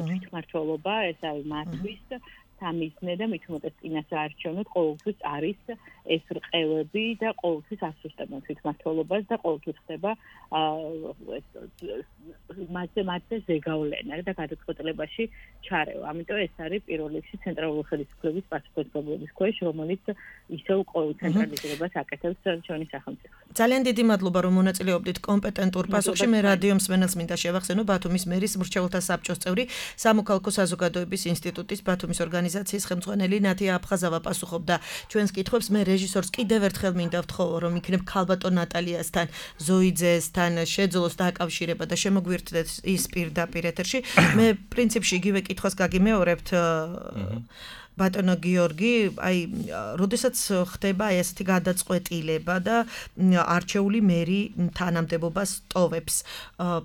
თვითმმართველობა ეს არის მათთვის სამიზნე და მით უმეტეს წინასწარ არჩევნად ყოველთვის არის ეს რყევები და ყოველთვის ასუსტებენ თვითმმართველობას და ყოველთვის ხდება მასზე მასზე ზეგავლენა და გადაწყვეტილებაში ჩარევა. ამიტომ ეს არის პირველ რიგში ცენტრალური ხელისუფლების პასუხისმგებლობის ქვეშ, რომელიც ისევ ყოველ ცენტრალიზებას აკეთებს ჩვენი სახელმწიფო. ძალიან დიდი მადლობა რომ მონაწილეობდით კომპეტენტურ პასუხში. მე რადიო მსმენელს მინდა შევახსენო ბათუმის მერის მრჩეველთა საბჭოს წევრი, სამოქალაქო საზოგადოების ინსტიტუტის ბათუმის ორგანიზაციის ხელმძღვანელი ნათია აფხაზავა პასუხობდა ჩვენს კითხვებს. მე რეჟისორს კიდევ ერთხელ მინდა ვთხოვო რომ იქნებ ქალბატონ ნატალიასთან, ზოიძესთან შეძლოს დაკავშირება და შემოგვიერთდეთ ის პირდაპირ ეთერში. მე პრინციპში იგივე კითხვას გაგიმეორებთ ბატონო გიორგი, აი, როდესაც ხდება ესეთი გადაწყვეტილება და არჩეული მერი თანამდებობას ტოვებს,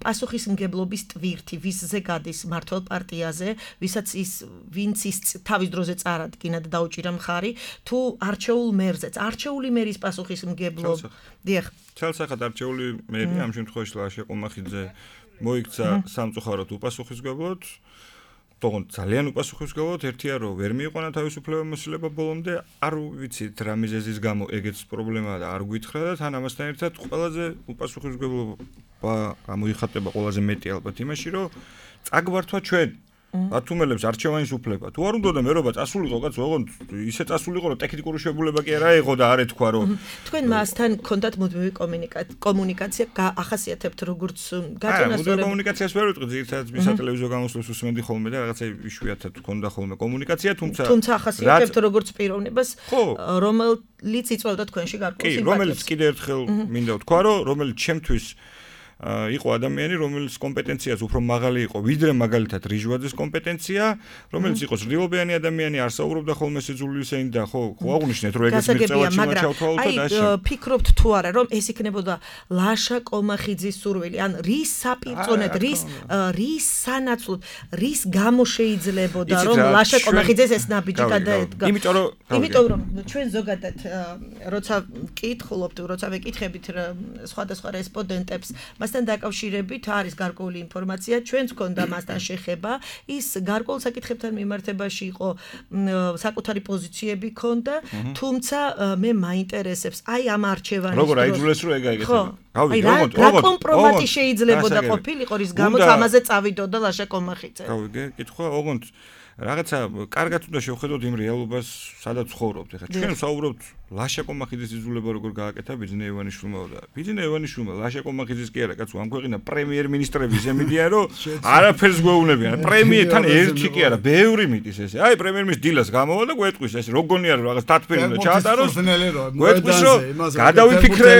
პასუხისმგებლობის ტვირთი ვისზე გადის მართლ პარტიაზე, ვისაც ის ვინც ის თავის დროზე წარადგინა და დაუჭირა მხარი, თუ არჩეულ მერზეც, არჩეული მერის პასუხისმგებლობა. დიახ. ცალსახად არჩეული მერი ამ შემთხვევაში ლაშა ყომახიძე მოიქცა სამწუხაროდ უპასუხისმგებლოდ. თუმცა ძალიან უპასუხისმგებლოდ ერთია რომ ვერ მიიყვანა თავისუფლება მოსილება ბოლომდე, არ ვიცით რა მიზეზის გამო ეგეც პრობლემაა და არ გვითხრა და თან ამასთან ერთად ყველაზე უპასუხისმგებლობა გამოიხატება ყველაზე მეტი ალბათ იმაში რომ წაგვართვა ჩვენ ბათუმელებს არჩევანის უფლება. თუ არ უნდა მერობა წასულიყო კაც, ოღონდ ისე წასულიყო რომ ტექნიკური შეებულება კი არა եղო და არ ეთქვა რომ თქვენ მასთან კონტაქტ მუდმივი კომუნიკაცია ახასიათებთ როგორც გაწონასწორებული კომუნიკაციას ვერ ვიტყვი, ძირითადად მის სატელევიზიო გამოსვლას უსმენდი ხოლმე და რაღაცა იშვიათად ჰქონდა ხოლმე კომუნიკაცია, თუმცა თუმცა ახასიათებთ როგორც პიროვნებას, რომელიც იწვევდა თქვენში გარკვეულ სიმპათიას. კი, რომელიც კიდე ერთხელ მინდა ვთქვა რომ რომელიც ჩემთვის იყო ადამიანი, რომელიც კომპეტენციაც უფრო მაღალი იყო, ვიდრე მაგალითად რიჟვაძის კომპეტენცია, რომელიც იყო ძლიერობიანი ადამიანი, არ საუბრობდა ხოლმე სიძულვილისეინ და ხო, ხო აღნიშნეთ, რომ ეგეც მიღწევაში ჩავთვალოთ და აი, ფიქრობთ თუ არა, რომ ეს იქნებოდა ლაშა ყომახიძის სურვილი, ან რის საპირწონედ, რის რის სანაცვლოდ, რის გამო შეიძლებოდა, რომ ლაშა ყომახიძეს ეს ნაბიჯი გადაედგა. იმიტომ რომ იმიტომ რომ ჩვენ ზოგადად როცა კითხულობთ, როცა ვეკითხებით სხვადასხვა რესპონდენტებს მასთან დაკავშირებით არის გარკვეული ინფორმაცია, ჩვენც გქონდა მასთან შეხება, ის გარკვეულ საკითხებთან მიმართებაში იყო საკუთარი პოზიციები ქონდა, თუმცა მე მაინტერესებს აი ამ არჩევანის როგორ აიძულეს რომ ეგ აიგეცება. აი რა კომპრომატი შეიძლებოდა ყოფილიყო, რის გამოც ამაზე წავიდოდა ლაშა ყომახიძე. გავიგე, კითხვა, ოღონდ რაღაცა კარგად უნდა შევხედოთ იმ რეალობას, სადაც ცხოვრობთ. ეხლა ჩვენ ვსაუბრობთ ლაშა ყომახიძის იძულება როგორ გააკეთა ბიძინა ივანიშვილმა და ბიძინა ივანიშვილმა ლაშა ყომახიძის კი არა, კაცო, ამ ქვეყნა პრემიერ-მინისტრების ზემიდიან, რომ არაფერს გვეუბნებიან. პრემიერთან ერთი კი არა, ბევრი მიდის ესე. აი პრემიერ-მინისტრის დილას გამოვა და გვეტყვის ეს როგონია რომ რაღაც დათფერი უნდა ჩაატაროს. გვეტყვის რომ გადავიფიქრე,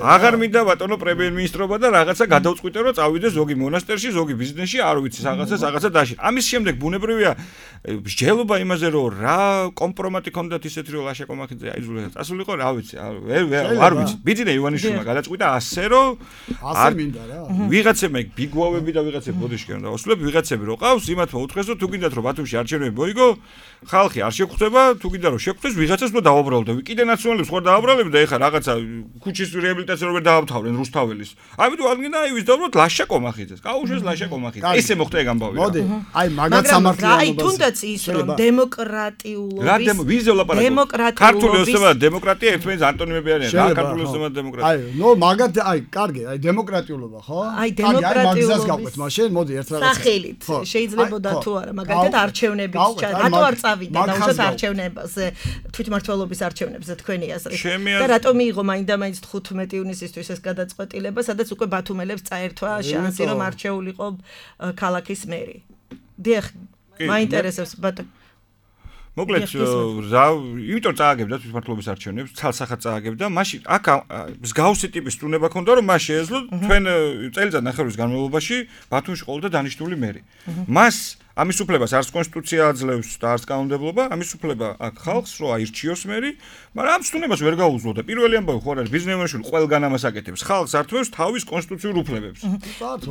აღარ მინდა ბატონო პრემიერ-მინისტრობა და რაღაცა გადავწყვიტე რომ წავიდე ზოგი მონასტერში, ზოგი ბიზნესში, არ ვიცი, რაღაცას რაღაცა დაში. ამის შემდეგ ბუნებრივია მსჯელობა იმაზე რომ რა კომპრომატი ქონდათ ისეთი რომ ლაშა ყომახიძე აიძულა წასულიყო, რა ვიცი, არ ვიცი. ბიძინა ივანიშვილმა გადაწყვიტა ასე რომ ასე მინდა რა. ვიღაცებმა იქ ბიგვავები და ვიღაცები ბოდიშკენ და ოსლები, ვიღაცები რო ყავს, იმათმა უთხრეს რომ თუ გინდათ რომ ბათუმში არჩევნები მოიგო, ხალხი არ შეგხვდება, თუ გინდა რომ შეგხვდეს, ვიღაცას უნდა დაუბრალდე. კიდე ნაციონალებს ხوار დააბრალებ და ეხა რაღაცა ქუჩის რეაბილიტაცია რო ვერ დაავთავრენ რუსთაველის. ამიტომ არ გინდა აი ვისდავროთ ლაშა ყომახიძეს. გაუშვეს ლაშა ყომახიძე. ესე მოხდა ეგ ამბავი. მოდი, აი მაგაც სამართლიანობას. აი თუნდაც ის რომ დემოკრატიულობის რა ვიზე ვლაპარაკობ? ქართული ოსტობა დემოკრატია ერთმანეთს ანტონიმები არიან. რა ქართული ოსტობა დემოკრატია? აი, ნო მაგათ აი კარგი, აი დემოკრატიულობა, ხო? აი დემოკრატიულობის გავყვეთ მაშინ, მოდი ერთ რაღაცას. სახელით შეიძლებოდა თუ არა, მაგალითად არჩევნების რატო არ წავიდა და უშოთ არჩევნებზე, თვითმმართველობის არჩევნებზე თქვენი აზრით. და რატო მიიღო მაინდა-მაინც თხუთმეტი ივნისისთვის ეს გადაწყვეტილება, სადაც უკვე ბათუმელებს წაერთვა შანსი რომ არჩეულიყო ქალაქის მერი. დიახ, მაინტერესებს ბატონო. მოკლედ რა, იმიტომ წააგებდა თვითმმართველობის არჩევნებს, ცალსახად წააგებდა, მაშინ აქ მსგავსი ტიპის სტუნება ქონდა, რომ მას შეეძლო თქვენ წელიწად ნახევრის განმავლობაში ბათუმში ყოლოდა დანიშნული მერი. მას ამის უფლებას არც კონსტიტუცია აძლევს და არც კანონმდებლობა, ამის უფლება აქ ხალხს რო აირჩიოს მერი, მაგრამ ამ სტუნებას ვერ გაუძლო და პირველი ამბავი ხო არის ბიზნეს მენეჯმენტი ყველგან ამას აკეთებს. ხალხს ართმევს თავის კონსტიტუციურ უფლებებს.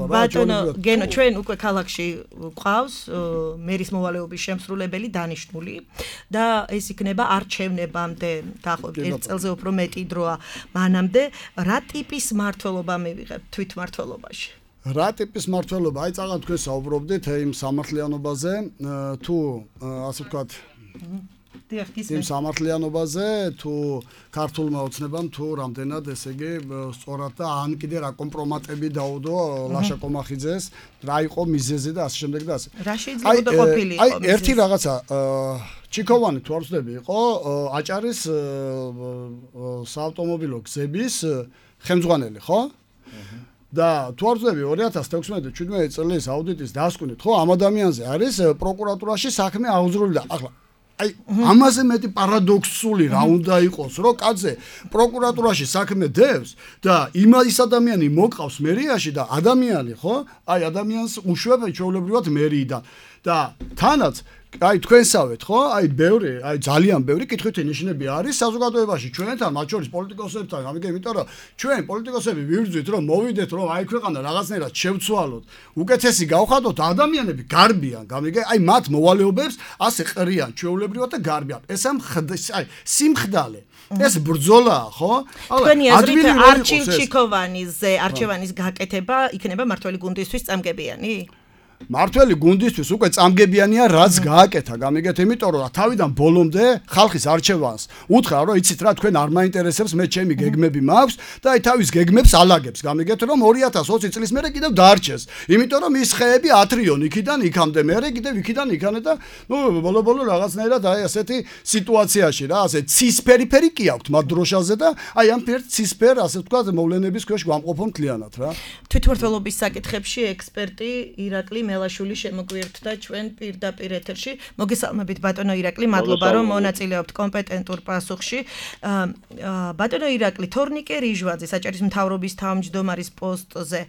ბატონო, გენო, ჩვენ უკვე ქალაქში ყავს მერის მოვალეობის შემსრულებელი დანიშნული და ეს იქნება არჩევნებამდე, დაახლოებით ერთ წელზე უფრო მეტი დროა მანამდე, რა ტიპის მმართველობა მივიღებთ თვითმმართველობაში? რა ტიპის მართლობა? აი წაღა თქვენ საუბრობდით იმ სამართლიანობაზე, თუ ასე ვთქვათ, იმ სამართლიანობაზე, თუ ქართულმა ოცნებამ თუ რამდენად, ესე იგი, სწორად და ან კიდე რა კომპრომატები დაუდო ლაშა კომახიძეს, რა იყო მიზეზი და ასე შემდეგ და ასე. რა შეიძლება ყოფილიყო? აი ერთი რაღაცა ჩიქოვანი თუ არ ვცდები იყო აჭარის საავტომობილო გზების ხელმძღვანელი, ხო? და თუ არ ვცდები ორი ათას თექვსმეტ-შვიდმეტი წლის აუდიტის დასკვნით, ხო, ამ ადამიანზე არის პროკურატურაში საქმე აღძრული და ახლა აი ამაზე მეტი პარადოქსული რა უნდა იყოს, რომ კაცზე პროკურატურაში საქმე დევს და იმის ადამიანი მოყავს მერიაში და ადამიანი, ხო? აი ადამიანს უშვებ ჩვეულებრივად მერიიდან და თანაც აი თქვენსავეთ, ხო? აი ბევრი, აი ძალიან ბევრი კითხვით ნიშნები არის საზოგადოებაში ჩვენთან, მათ შორის პოლიტიკოსებთან, ამიტომ იმიტომ რომ ჩვენ პოლიტიკოსები ვიბრძვით, რომ მოვიდეთ, რომ აი ქვეყანა რაღაცნაირად შევცვალოთ, უკეთესი გავხადოთ, ადამიანები გარბიან, გამიგე? აი მათ მოვალეობებს ასე ყრიან ჩვეულებრივად და გარბიან. ეს ამ აი სიმხდალე ეს ბრძოლაა, ხო? თქვენი აზრით არჩილ ჩიქოვანიზე არჩევანის გაკეთება იქნება მართველი გუნდისთვის წამგებიანი? მართველი გუნდისთვის უკვე წამგებიანია რაც გააკეთა, გამიგეთ, იმიტომ რომ თავიდან ბოლომდე ხალხის არჩევანს უთხრა, რომ იცით რა, თქვენ არ მაინტერესებს, მე ჩემი გეგმები მაქვს და აი თავის გეგმებს ალაგებს, გამიგეთ, რომ ორი ათას ოცი წლის მერე კიდევ დაარჩეს. იმიტომ რომ ის ხეები ათრიონ იქიდან იქამდე, მერე კიდევ იქიდან იქანე და ნუ ბოლო-ბოლო რაღაცნაირად აი ასეთი სიტუაციაში რა, ასე ცისფერი-ფერი კი აქვთ მათ დროშაზე და აი ამ ფერ ცისფერ, ასე ვთქვათ, მოვლენების ქვეშ გვამყოფონ მთლიანად რა. თვითმმართველობის საკითხებში ექსპერტი ირაკლი მელაშვილი შემოგვიერთდა ჩვენ პირდაპირ ეთერში. მოგესალმებით ბატონო ირაკლი, მადლობა რომ მონაწილეობთ კომპეტენტურ პასუხში. ბატონო ირაკლი, თორნიკე რიჟვაძე საჭირის მთავრობის თავმჯდომარის პოსტზე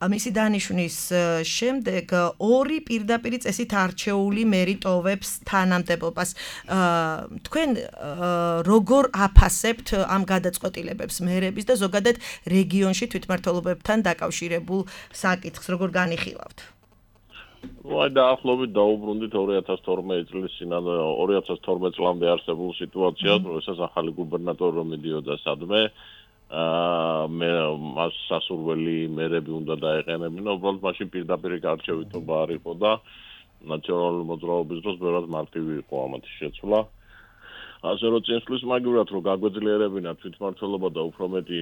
მისი დანიშვნის შემდეგ ორი პირდაპირი წესით არჩეული მერი ტოვებს თანამდებობას. თქვენ როგორ აფასებთ ამ გადაწყვეტილებებს მერების და ზოგადად რეგიონში თვითმმართველობებთან დაკავშირებულ საკითხს, როგორ განიხილავთ? აი დაახლოებით დაუბრუნდით ორი ათას თორმეტი წლის წინანდ ორი ათას თორმეტ წლამდე არსებულ სიტუაციას, როდესაც ახალი გუბერნატორი რომ მიდიოდა სადმე, აა მე მას სასურველი მერები უნდა დაეყენებინა, უბრალოდ მაშინ პირდაპირ გარჩევითობა არ იყო და ნაციონალური მოძრაობის დროს ბევრად მარტივი იყო ამათი შეცვლა. ასე რომ წინსვლის მაგივრად რომ გაგვეძლიერებინა თვითმმართველობა და უფრო მეტი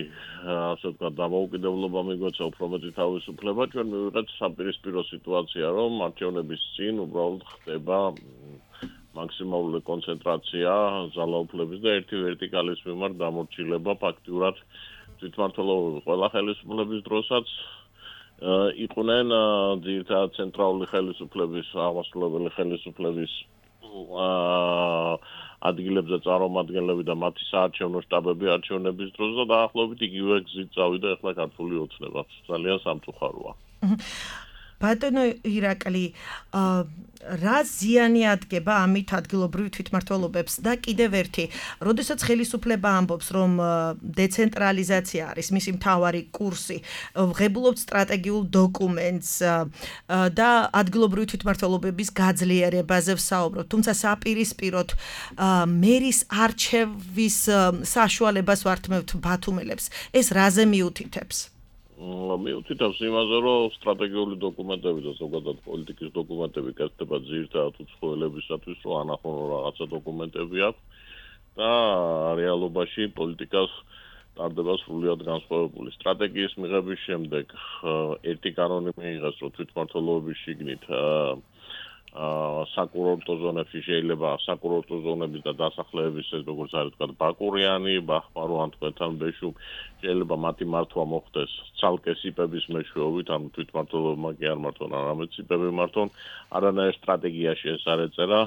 ასე ვთქვათ დამოუკიდებლობა მიგვეცა, უფრო მეტი თავისუფლება, ჩვენ მივიღეთ საპირისპირო სიტუაცია, რომ არჩევნების წინ უბრალოდ ხდება მაქსიმალური კონცენტრაცია ძალაუფლების და ერთი ვერტიკალის მიმართ დამორჩილება ფაქტიურად თვითმმართველობა ყველა ხელისუფლების დროსაც იყვნენ ძირითადად ცენტრალური ხელისუფლების, აღმასრულებელი ხელისუფლების აა ადგილებზე წარმომადგენლები და მათი საარჩევნო შტაბები არჩევნების დროს და დაახლოებით იგივე გზით წავიდა ახლა ქართული ოცნება. ძალიან სამწუხაროა. ბატონო ირაკლი, რა ზიანი ადგება ამით ადგილობრივ თვითმმართველობებს და კიდევ ერთი, როდესაც ხელისუფლება ამბობს, რომ დეცენტრალიზაცია არის მისი მთავარი კურსი, ღებულობთ სტრატეგიულ დოკუმენტს და ადგილობრივ თვითმმართველობების გაძლიერებაზე ვსაუბრობთ, თუმცა საპირისპიროდ მერის არჩევის საშუალებას ვართმევთ ბათუმელებს. ეს რაზე მიუთითებს? მიუთითებს იმაზე, რომ სტრატეგიული დოკუმენტები და ზოგადად პოლიტიკის დოკუმენტები კეთდება ძირითადად უცხოელებისათვის, რომ ანახონ რაღაცა დოკუმენტები აქვს და რეალობაში პოლიტიკას ტარდება სრულიად განსხვავებული. სტრატეგიის მიღების შემდეგ ერთი კანონი მიიღეს, რომ თვითმმართველობის შიგნით საკურორტო ზონებში შეიძლება საკურორტო ზონების და დასახლების ეს როგორც არის თქვა ბაკურიანი, ბახმარო ან თქვენთან ბეშუ შეიძლება მათი მართვა მოხდეს ცალკე სიპების მეშვეობით, ანუ თვითმმართველობმა კი არ მართონ, არამედ სიპები მართონ, არანაირ სტრატეგიაში ეს არ ეწერა.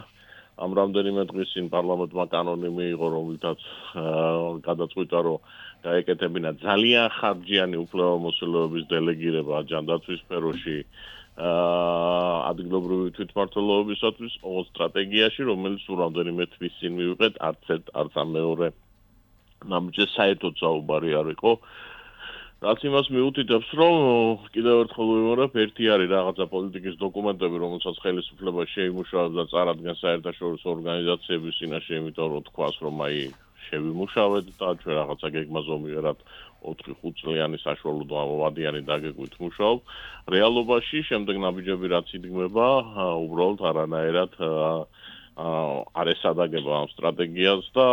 ამ რამდენიმე დღის წინ პარლამენტმა კანონი მიიღო, რომლითაც გადაწყვიტა, რომ გაეკეთებინა ძალიან ხარჯიანი უფლებამოსილოების დელეგირება ჯანდაცვის სფეროში ადგილობრივი თვითმმართველობისათვის ოღონდ სტრატეგიაში, რომელიც სულ რამდენიმე თვის წინ მივიღეთ, არც ერთ, არც ამ მეორე ნამდვილად საერთოდ საუბარი არ იყო. რაც იმას მიუთითებს, რომ კიდევ ერთხელ ვიმეორებ, ერთი არის რაღაცა პოლიტიკის დოკუმენტები, რომელსაც ხელისუფლება შეიმუშავებს და წარადგენს საერთაშორისო ორგანიზაციების წინაშე, იმიტომ რომ თქვას, რომ აი შევიმუშავეთ და ჩვენ რაღაცა გეგმა ზომიერად ოთხი ხუთ წლიანი საშუალო ვადიანი დაგეგმვით მუშაობ. რეალობაში შემდეგ ნაბიჯები რაც იდგმება, უბრალოდ არანაირად არ ესადაგება ამ სტრატეგიას და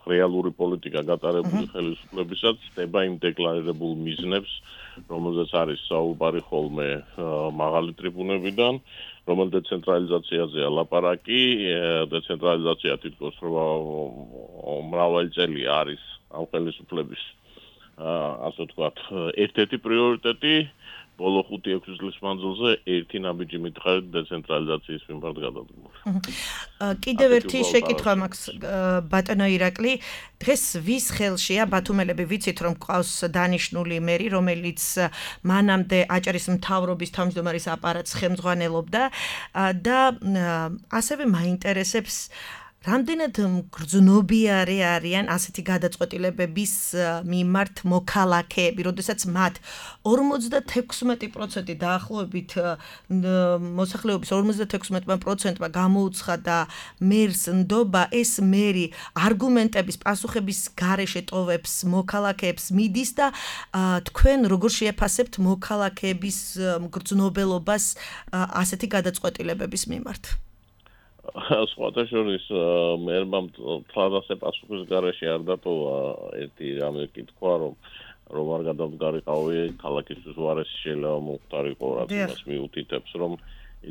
რეალური პოლიტიკა გატარებული ხელისუფლებისაც ხდება იმ დეკლარირებულ მიზნებს, რომელზეც არის საუბარი ხოლმე მაღალი ტრიბუნებიდან, რომელ დეცენტრალიზაციაზეა ლაპარაკი, დეცენტრალიზაცია თითქოს მრავალი წელი არის ამ ხელისუფლების ასე ვთქვათ, ერთ-ერთი პრიორიტეტი ბოლო ხუთი ექვსი წლის მანძილზე ერთი ნაბიჯი მითხარით დეცენტრალიზაციის მიმართ გადადგმული. კიდევ ერთი შეკითხვა მაქვს ბატონო ირაკლი, დღეს ვის ხელშია ბათუმელები ვიცით რომ ყავს დანიშნული მერი, რომელიც მანამდე აჭარის მთავრობის თავმჯდომარის აპარატს ხელმძღვანელობდა და ასევე მაინტერესებს რამდენად გრძნობიარე არიან ასეთი გადაწყვეტილებების მიმართ მოქალაქეები, როდესაც მათ ორმოცდათექვსმეტი პროცენტი დაახლოებით მოსახლეობის ორმოცდათექვსმეტი პროცენტმა გამოუცხადა მერს ნდობა, ეს მერი არგუმენტების პასუხების გარეშე ტოვებს მოქალაქეებს მიდის და თქვენ როგორ შეაფასებთ მოქალაქეების გრძნობელობას ასეთი გადაწყვეტილებების მიმართ? სხვათა შორის მერმა თლადასე პასუხის გარეშე არ დატოვა ერთი რამე კითხვა, რომ რომ არ გადამდგარიყავი ქალაქისთვის უარესი შეიძლება მომხდარიყო, რაც იმას მიუთითებს, რომ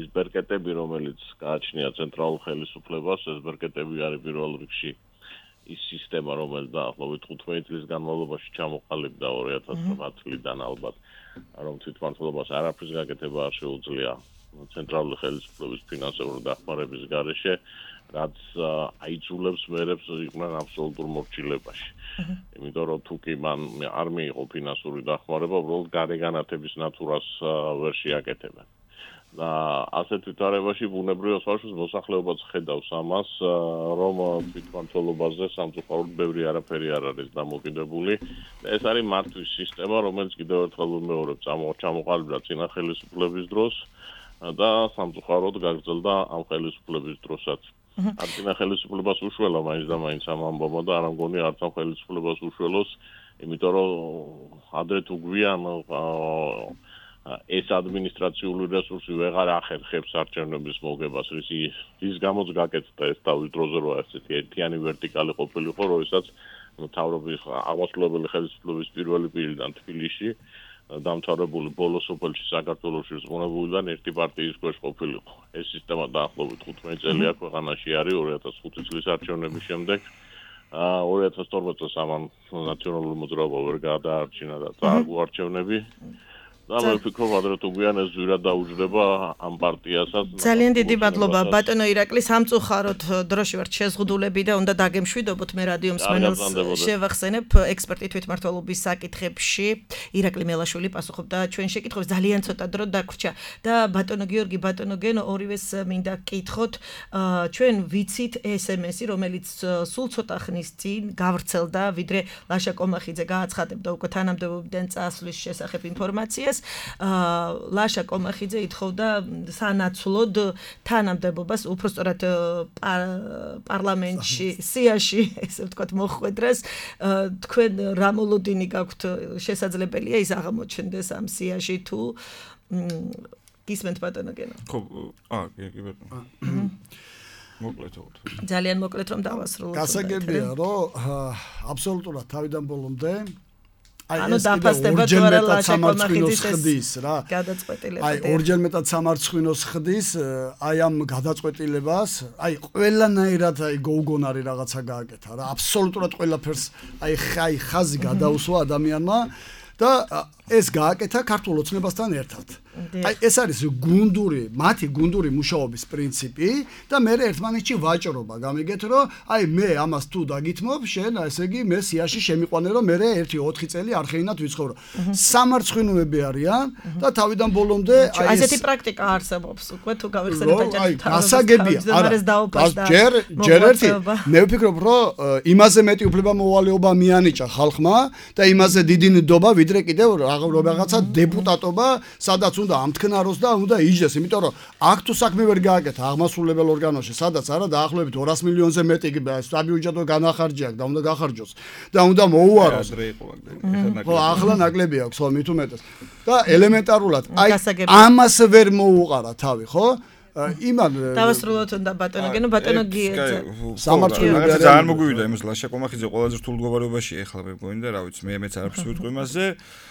ის ბერკეტები, რომელიც გააჩნია ცენტრალურ ხელისუფლებას, ეს ბერკეტები არის პირველ რიგში ის სისტემა, რომელიც დაახლოებით თხუთმეტი წლის განმავლობაში ჩამოყალიბდა ორი ათას ათი წლიდან ალბათ, რომ თვითმმართველობას არაფრის გაკეთება არ შეუძლია ცენტრალური ხელისუფლების ფინანსური დახმარების გარეშე, რაც აიძულებს მერებს იყვნენ აბსოლუტურ მორჩილებაში. იმიტომ რომ თუ კი მან არ მიიღო ფინანსური დახმარება, უბრალოდ გარეგანათების ნატურას ვერ შეაკეთებენ. და ასეთ ვითარებაში ბუნებრივად ხალხის მოსახლეობაც ხედავს ამას, რომ თვითმმართველობაზე სამწუხაროდ ბევრი არაფერი არ არის დამოკიდებული. ეს არის მართვის სისტემა, რომელიც კიდევ ერთხელ ვიმეორებ, ჩამოყალიბდა წინა ხელისუფლების დროს და სამწუხაროდ გაგრძელდა ამ ხელისუფლების დროსაც. არ წინა ხელისუფლებას უშველა მაინც და მაინც ამ ამბავმა და არ ამგონი არც ამ ხელისუფლებას უშველოს, იმიტომ რომ ადრე თუ გვიან ეს ადმინისტრაციული რესურსი ვეღარ ახერხებს არჩევნების მოგებას, რის რის გამოც გაკეთდა ეს თავის დროზე, რომ ესეთი ერთიანი ვერტიკალი ყოფილიყო, როდესაც მთავრობის აღმასრულებელი ხელისუფლების პირველი პირიდან თბილისში დამთავრებული ბოლო სოფელში საქართველოში ზღუნებულიდან ერთი პარტიის ქვეშ ყოფილიყო. ეს სისტემა დაახლოებით თხუთმეტი წელია ქვეყანაში არის ორი ათას ხუთი წლის არჩევნების შემდეგ. ორი ათას თორმეტ წელს ამან ნაციონალური მოძრაობა ვერ გადაარჩინა და წააგო არჩევნები. და მე ვფიქრობ, ადრე თუ გვიან ეს ძვირად დაუჯდება ამ პარტიასაც. ძალიან დიდი მადლობა ბატონო ირაკლი, სამწუხაროდ დროში ვართ შეზღუდულები და უნდა დაგემშვიდობოთ, მე რადიო მსმენელს შევახსენებ ექსპერტი თვითმმართველობის საკითხებში ირაკლი მელაშვილი პასუხობდა ჩვენ შეკითხვებს, ძალიან ცოტა დრო დაგვრჩა და ბატონო გიორგი, ბატონო გენო, ორივეს მინდა გკითხოთ, ჩვენ ვიცით ეს ემ ესი, რომელიც სულ ცოტა ხნის წინ გავრცელდა, ვიდრე ლაშა კომახიძე გააცხადებდა უკვე თანამდებობიდან წასვლის შესახებ ინფორმაციას. ლაშა კომახიძე ითხოვდა სანაცვლოდ თანამდებობას, უпростоრად პარლამენტში, სიაში, ესე ვთქვათ, მოხვედრას. თქვენ რა მოლოდინი გაქვთ, შესაძლებელია ის აღმოჩნდეს ამ სიაში თუ გისმენთ ბატონო გენო? ხო, აა, კი ბატონო. მოკლედ ვთქვით. ძალიან მოკლედ რომ დავასრულოთ. გასაგებია, რომ აბსოლუტურად თავიდან ბოლომდე ანუ დაფასდება თუ არა ლაშა კომახიძის ხდის რა. გადაწყვეტილება. აი ორჯერ მეტად სამარცხვინოს ხდის, აი ამ გადაწყვეტილებას, აი ყველანაირად აი გოუგონარი რაღაცა გააკეთა რა. აბსოლუტურად ყველაფერს აი ხაი ხაზი გადაუსვა ადამიანმა და ეს გააკეთა ქართულ ოცნებასთან ერთად. აი ეს არის გუნდური, მათი გუნდური მუშაობის პრინციპი და მე ერთმანეთში ვაჭრობა. გამიგეთ რომ აი მე ამას თუ დაგითმობ, შენ ესე იგი მე სიაში შემიყვანე რომ მე ერთი ოთხი წელი არხეინად ვიცხოვრო. სამარცხვინოები არიან და თავიდან ბოლომდე აი ესეთი პრაქტიკა არსებობს. უკვე თუ გავიხსენებთ აი გასაგებია. არა ჯერ ჯერ ერთი მე ვფიქრობ რომ იმაზე მეტი უფლება მოვალეობა მიანიჭა ხალხმა და იმაზე დიდი ნდობა ვიდრე კიდევ რაღაცა დეპუტატობა, სადაც უნდა ამთქნაროს და უნდა იჯდეს, იმიტომ რომ აქ თუ საქმე ვერ გააკეთა აღმასრულებელ ორგანოში, სადაც არა დაახლოებით ორას მილიონზე მეტი საბიუჯეტო განახარჯი აქვს და უნდა გახარჯოს და უნდა მოუაროს. ხო, ახლა ნაკლები აქვს, ხო, მით უმეტეს. და ელემენტარულად, აი ამას ვერ მოუყარა თავი, ხო? იმან დავასრულოთ უნდა ბატონო გენო ბატონო გიეძა სამართლებრივი ძალიან მოგვივიდა იმას ლაშა კომახიძე ყველაზე რთულ მდგომარეობაში ეხლა მე მგონი და რა ვიცი მე მეც არაფერს ვიტყვი იმაზე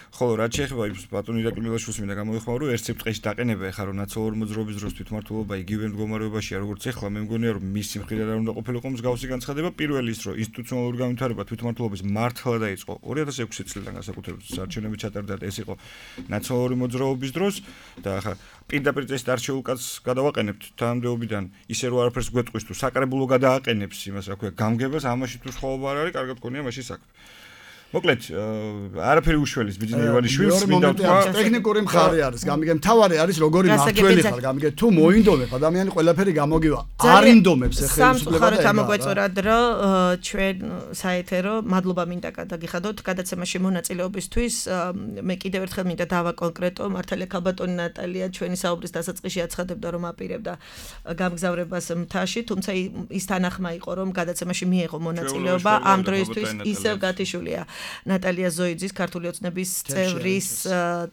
ხოლო რაც შეეხება იმ ბატონი ირაკლი მილაშვილს მინდა გამოიხმარო რომ ერთ სიბრტყეში დაყენება ეხლა რომ ნაციონალური მოძრაობის დროს თვითმმართველობა იგივე მდგომარეობაშია როგორც ეხლა მე მგონია რომ მისი მხრიდან არ უნდა ყოფილიყო მსგავსი განცხადება პირველი ის რომ ინსტიტუციონალური განვითარება თვითმმართველობის მართლა დაიწყო ორი ათას ექვსი წლიდან განსაკუთრებით საარჩევნები ჩატარდა ეს იყო ნაციონალური მოძრაობის დროს და ახლა პირდაპირ წესით არჩეულ კაცს გადავაყენებთ თანამდებობიდან ისე რომ არაფერს გვეტყვის თუ საკრებულო გადააყენებს იმას რა ქვია გამგებას ამაში თუ სხვაობა არ არის კარგად გქონია მაშინ საქმე მოკლედ არაფერი უშველის ბიძინა ივანიშვილს მინდა ვთქვა ტექნიკური მხარე არის გამიგე მთავარი არის როგორი მართველი ხარ გამიგე თუ მოინდომებ ადამიანი ყველაფერი გამოგივა არ ინდომებს ხელისუფლება და ამოგვეწორად რომ ჩვენ საეთერო მადლობა მინდა გადაგიხადოთ გადაცემაში მონაწილეობისთვის მე კიდევ ერთხელ მინდა დავა კონკრეტო მართალია ქალბატონი ნატალია ჩვენი საუბრის დასაწყისში აცხადებდა რომ აპირებდა გამგზავრებას მთაში თუმცა ის თანახმა იყო რომ გადაცემაში მიიღო მონაწილეობა ამ დროისთვის ისევ გათიშულია ნატალია ზოიძის ქართული ოცნების წევრის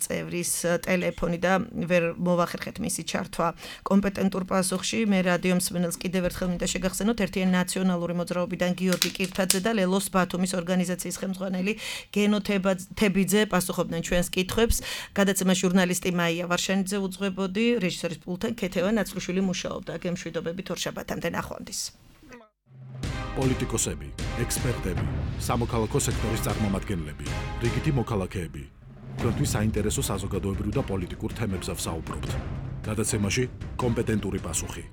წევრის ტელეფონი და ვერ მოვახერხეთ მისი ჩართვა კომპეტენტურ პასუხში მე რადიო მსმენელს კიდევ ერთხელ მინდა შეგახსენოთ ერთიანი ნაციონალური მოძრაობიდან გიორგი კირთაძე და ლელოს ბათუმის ორგანიზაციის ხელმძღვანელი გენო თებიძე პასუხობდნენ ჩვენს კითხვებს გადაცემა ჟურნალისტი მაია ვარშანიძე უძღვებოდი რეჟისორის პულტთან ქეთევა ნაცრუშვილი მუშაობდა გემშვიდობებით ორშაბათამდე ნახვამდის პოლიტიკოსები, ექსპერტები, სამოქალაქო სექტორის წარმომადგენლები, რიგითი მოქალაქეები. თქვენთვის საინტერესო საზოგადოებრივ და პოლიტიკურ თემებზე ვსაუბრობთ. გადაცემაში კომპეტენტური პასუხი.